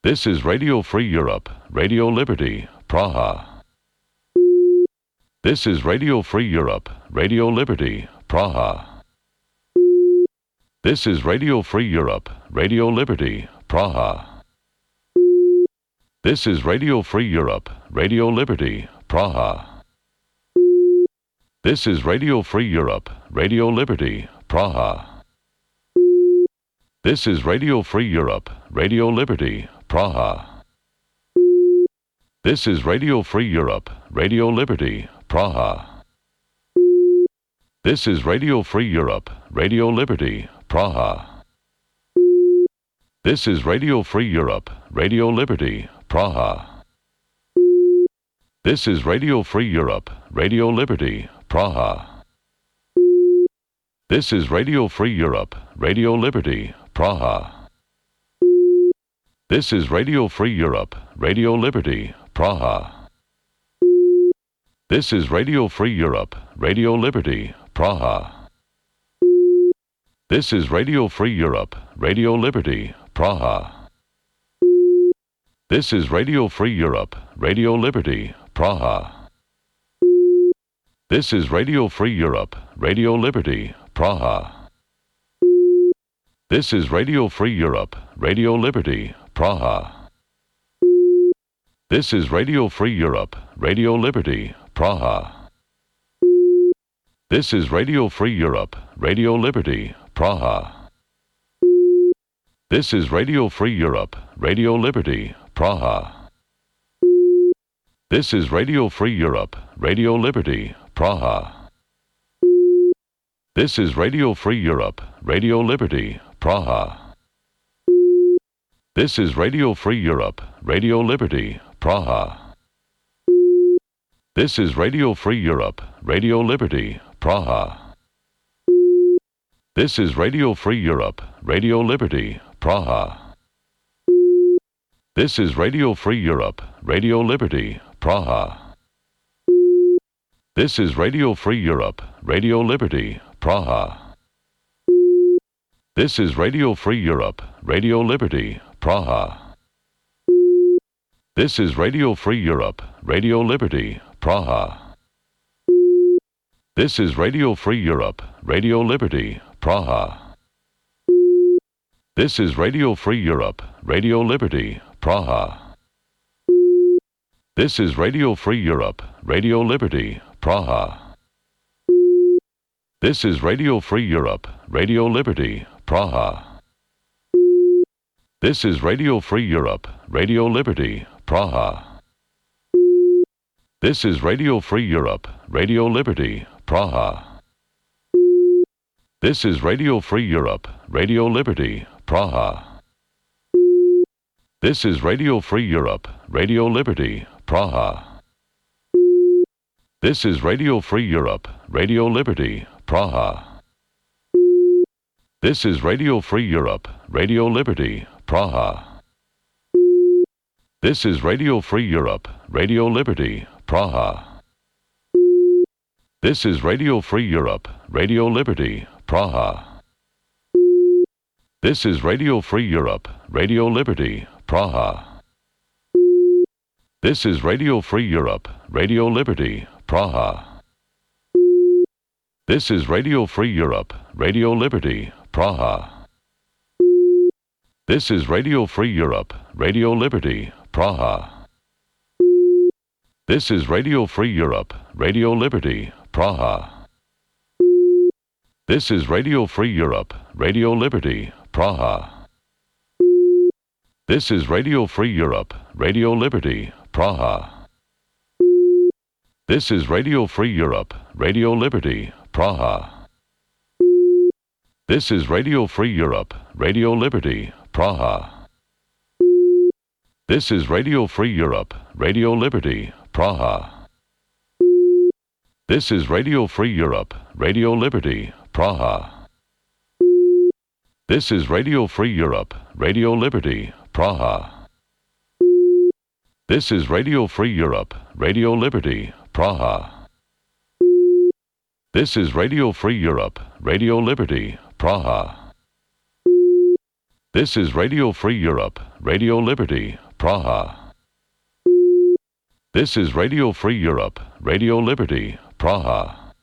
This is Radio Free Europe, Radio Liberty, Praha. This is Radio Free Europe, Radio Liberty, Praha. This is Radio Free Europe, Radio Liberty, Praha. This is Radio Free Europe, Radio Liberty, Praha. This is Radio Free Europe, Radio Liberty, Praha. This is Radio Free Europe, Radio Liberty, Praha. This is Radio Free Europe, Radio Liberty, Praha. This is Radio Free Europe, Radio Liberty, Praha. This is Radio Free Europe, Radio Liberty, Praha. This is Radio Free Europe, Radio Liberty, Praha. This is Radio Free Europe, Radio Liberty, Praha. This is Radio Free Europe, Radio Liberty, Praha. This is Radio Free Europe, Radio Liberty, Praha. This is Radio Free Europe, Radio Liberty, Praha. This is Radio Free Europe, Radio Liberty, Praha. This is Radio Free Europe, Radio Liberty, Praha. This is Radio Free Europe, Radio Liberty, Praha. This is Radio Free Europe, Radio Liberty, Praha. This is Radio Free Europe, Radio Liberty, Praha. This is Radio Free Europe, Radio Liberty, Praha. This is Radio Free Europe, Radio Liberty, Praha. This is Radio Free Europe, Radio Liberty, Praha. This is Radio Free Europe, Radio Liberty, Praha. This is Radio Free Europe, Radio Liberty, Praha. This is Radio Free Europe, Radio Liberty, Praha. This is Radio Free Europe, Radio Liberty, Praha. This is Radio Free Europe, Radio Liberty, Praha. This is Radio Free Europe, Radio Liberty, Praha. This is Radio Free Europe, Radio Liberty, Praha. This is Radio Free Europe, Radio Liberty, Praha. This is Radio Free Europe, Radio Liberty, Praha. This is Radio Free Europe, Radio Liberty, Praha. This is Radio Free Europe, Radio Liberty, Praha. This is Radio Free Europe, Radio Liberty, Praha. This is Radio Free Europe, Radio Liberty, Praha. This is Radio Free Europe, Radio Liberty, Praha. This is Radio Free Europe, Radio Liberty, Praha. This is Radio Free Europe, Radio Liberty, Praha. This is Radio Free Europe, Radio Liberty, Praha. This is Radio Free Europe, Radio Liberty, Praha. This is Radio Free Europe, Radio Liberty, Praha. This is Radio Free Europe, Radio Liberty, Praha. This is Radio Free Europe, Radio Liberty, Praha. This is Radio Free Europe, Radio Liberty, Praha. This is Radio Free Europe, Radio Liberty, Praha. This is Radio Free Europe, Radio Liberty, Praha. This is Radio Free Europe, Radio Liberty, Praha. This is Radio Free Europe, Radio Liberty, Praha. This is Radio Free Europe, Radio Liberty, Praha. This is Radio Free Europe, Radio Liberty, Praha. This is Radio Free Europe, Radio Liberty, Praha. This is Radio Free Europe, Radio Liberty, Praha. This is Radio Free Europe, Radio Liberty, Praha. This is Radio Free Europe, Radio Liberty, Praha. This is Radio Free Europe, Radio Liberty, Praha. This is Radio Free Europe, Radio Liberty, Praha. This is Radio Free Europe, Radio Liberty, Praha.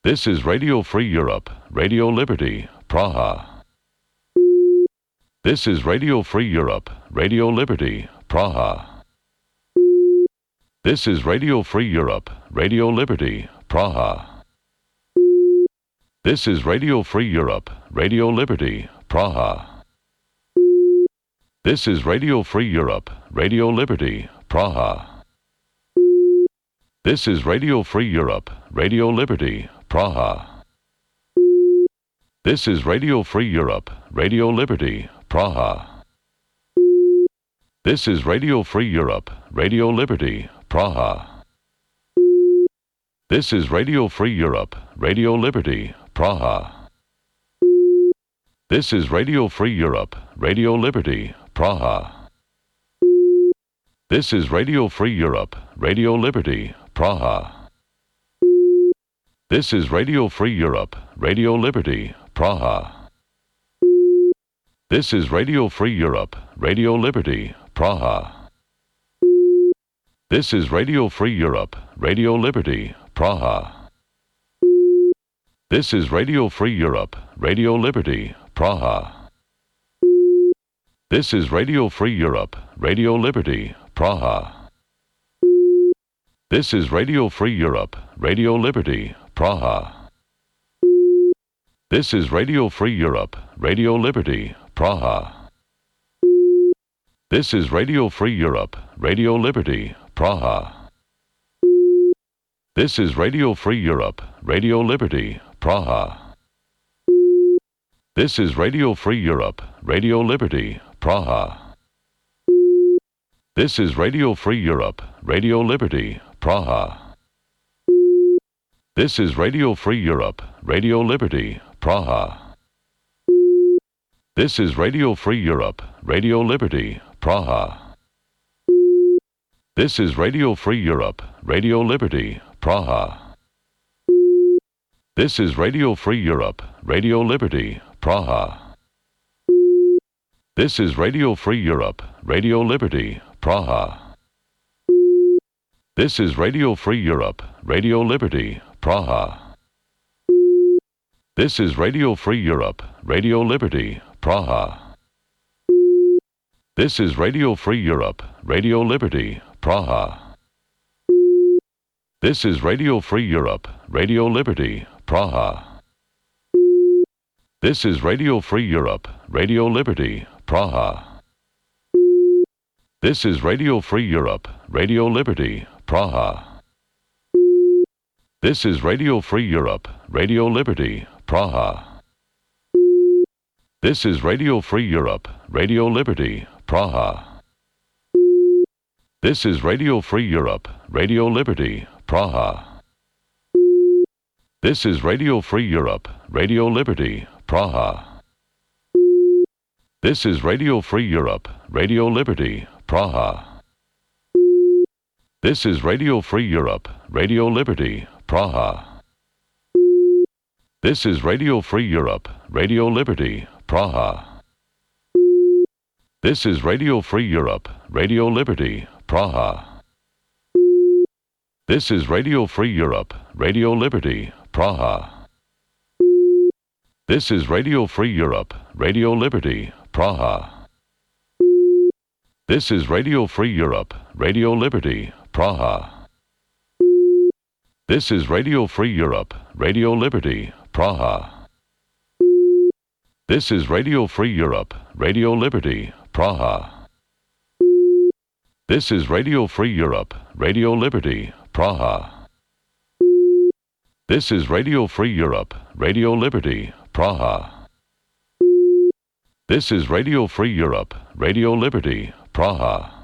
This is Radio Free Europe, Radio Liberty, Praha. This is Radio Free Europe, Radio Liberty, Praha. This is Radio Free Europe, Radio Liberty, Praha. This is Radio Free Europe, Radio Liberty, Praha. This is Radio Free Europe, Radio Liberty, Praha. This is Radio Free Europe, Radio Liberty, Praha. This is Radio Free Europe, Radio Liberty, Praha. This is Radio Free Europe, Radio Liberty, Praha. This is Radio Free Europe, Radio Liberty, Praha. This is Radio Free Europe, Radio Liberty, Praha. This is Radio Free Europe, Radio Liberty, Praha. This is Radio Free Europe, Radio Liberty, Praha. This is Radio Free Europe, Radio Liberty, Praha. This is Radio Free Europe, Radio Liberty, Praha. This is Radio Free Europe, Radio Liberty, Praha. This is Radio Free Europe, Radio Liberty, Praha. This is Radio Free Europe, Radio Liberty, Praha. This is Radio Free Europe, Radio Liberty, Praha. This is Radio Free Europe, Radio Liberty, Praha. This is Radio Free Europe, Radio Liberty, Praha. This is Radio Free Europe, Radio Liberty, Praha. This is Radio Free Europe, Radio Liberty, Praha. This is Radio Free Europe, Radio Liberty, Praha. This is Radio Free Europe, Radio Liberty, Praha. This is Radio Free Europe, Radio Liberty, Praha. This is Radio Free Europe, Radio Liberty, Praha. This is Radio Free Europe, Radio Liberty, Praha. This is Radio Free Europe, Radio Liberty, Praha. This is Radio Free Europe, Radio Liberty, Praha. This is Radio Free Europe, Radio Liberty, Praha. This is Radio Free Europe, Radio Liberty, Praha. This is Radio Free Europe, Radio Liberty, Praha. This is Radio Free Europe, Radio Liberty, Praha. This is Radio Free Europe, Radio Liberty, Praha. This is Radio Free Europe, Radio Liberty, Praha. This is Radio Free Europe, Radio Liberty, Praha. This is Radio Free Europe, Radio Liberty, Praha. This is Radio Free Europe, Radio Liberty, Praha. This is Radio Free Europe, Radio Liberty, Praha. This is Radio Free Europe, Radio Liberty, Praha. This is Radio Free Europe, Radio Liberty, Praha. This is Radio Free Europe, Radio Liberty, Praha. This is Radio Free Europe, Radio Liberty, Praha. This is Radio Free Europe, Radio Liberty, Praha. This is Radio Free Europe, Radio Liberty, Praha. This is Radio Free Europe, Radio Liberty, Praha. This is Radio Free Europe, Radio Liberty, Praha. This is Radio Free Europe, Radio Liberty, Praha. This is Radio Free Europe, Radio Liberty, Praha.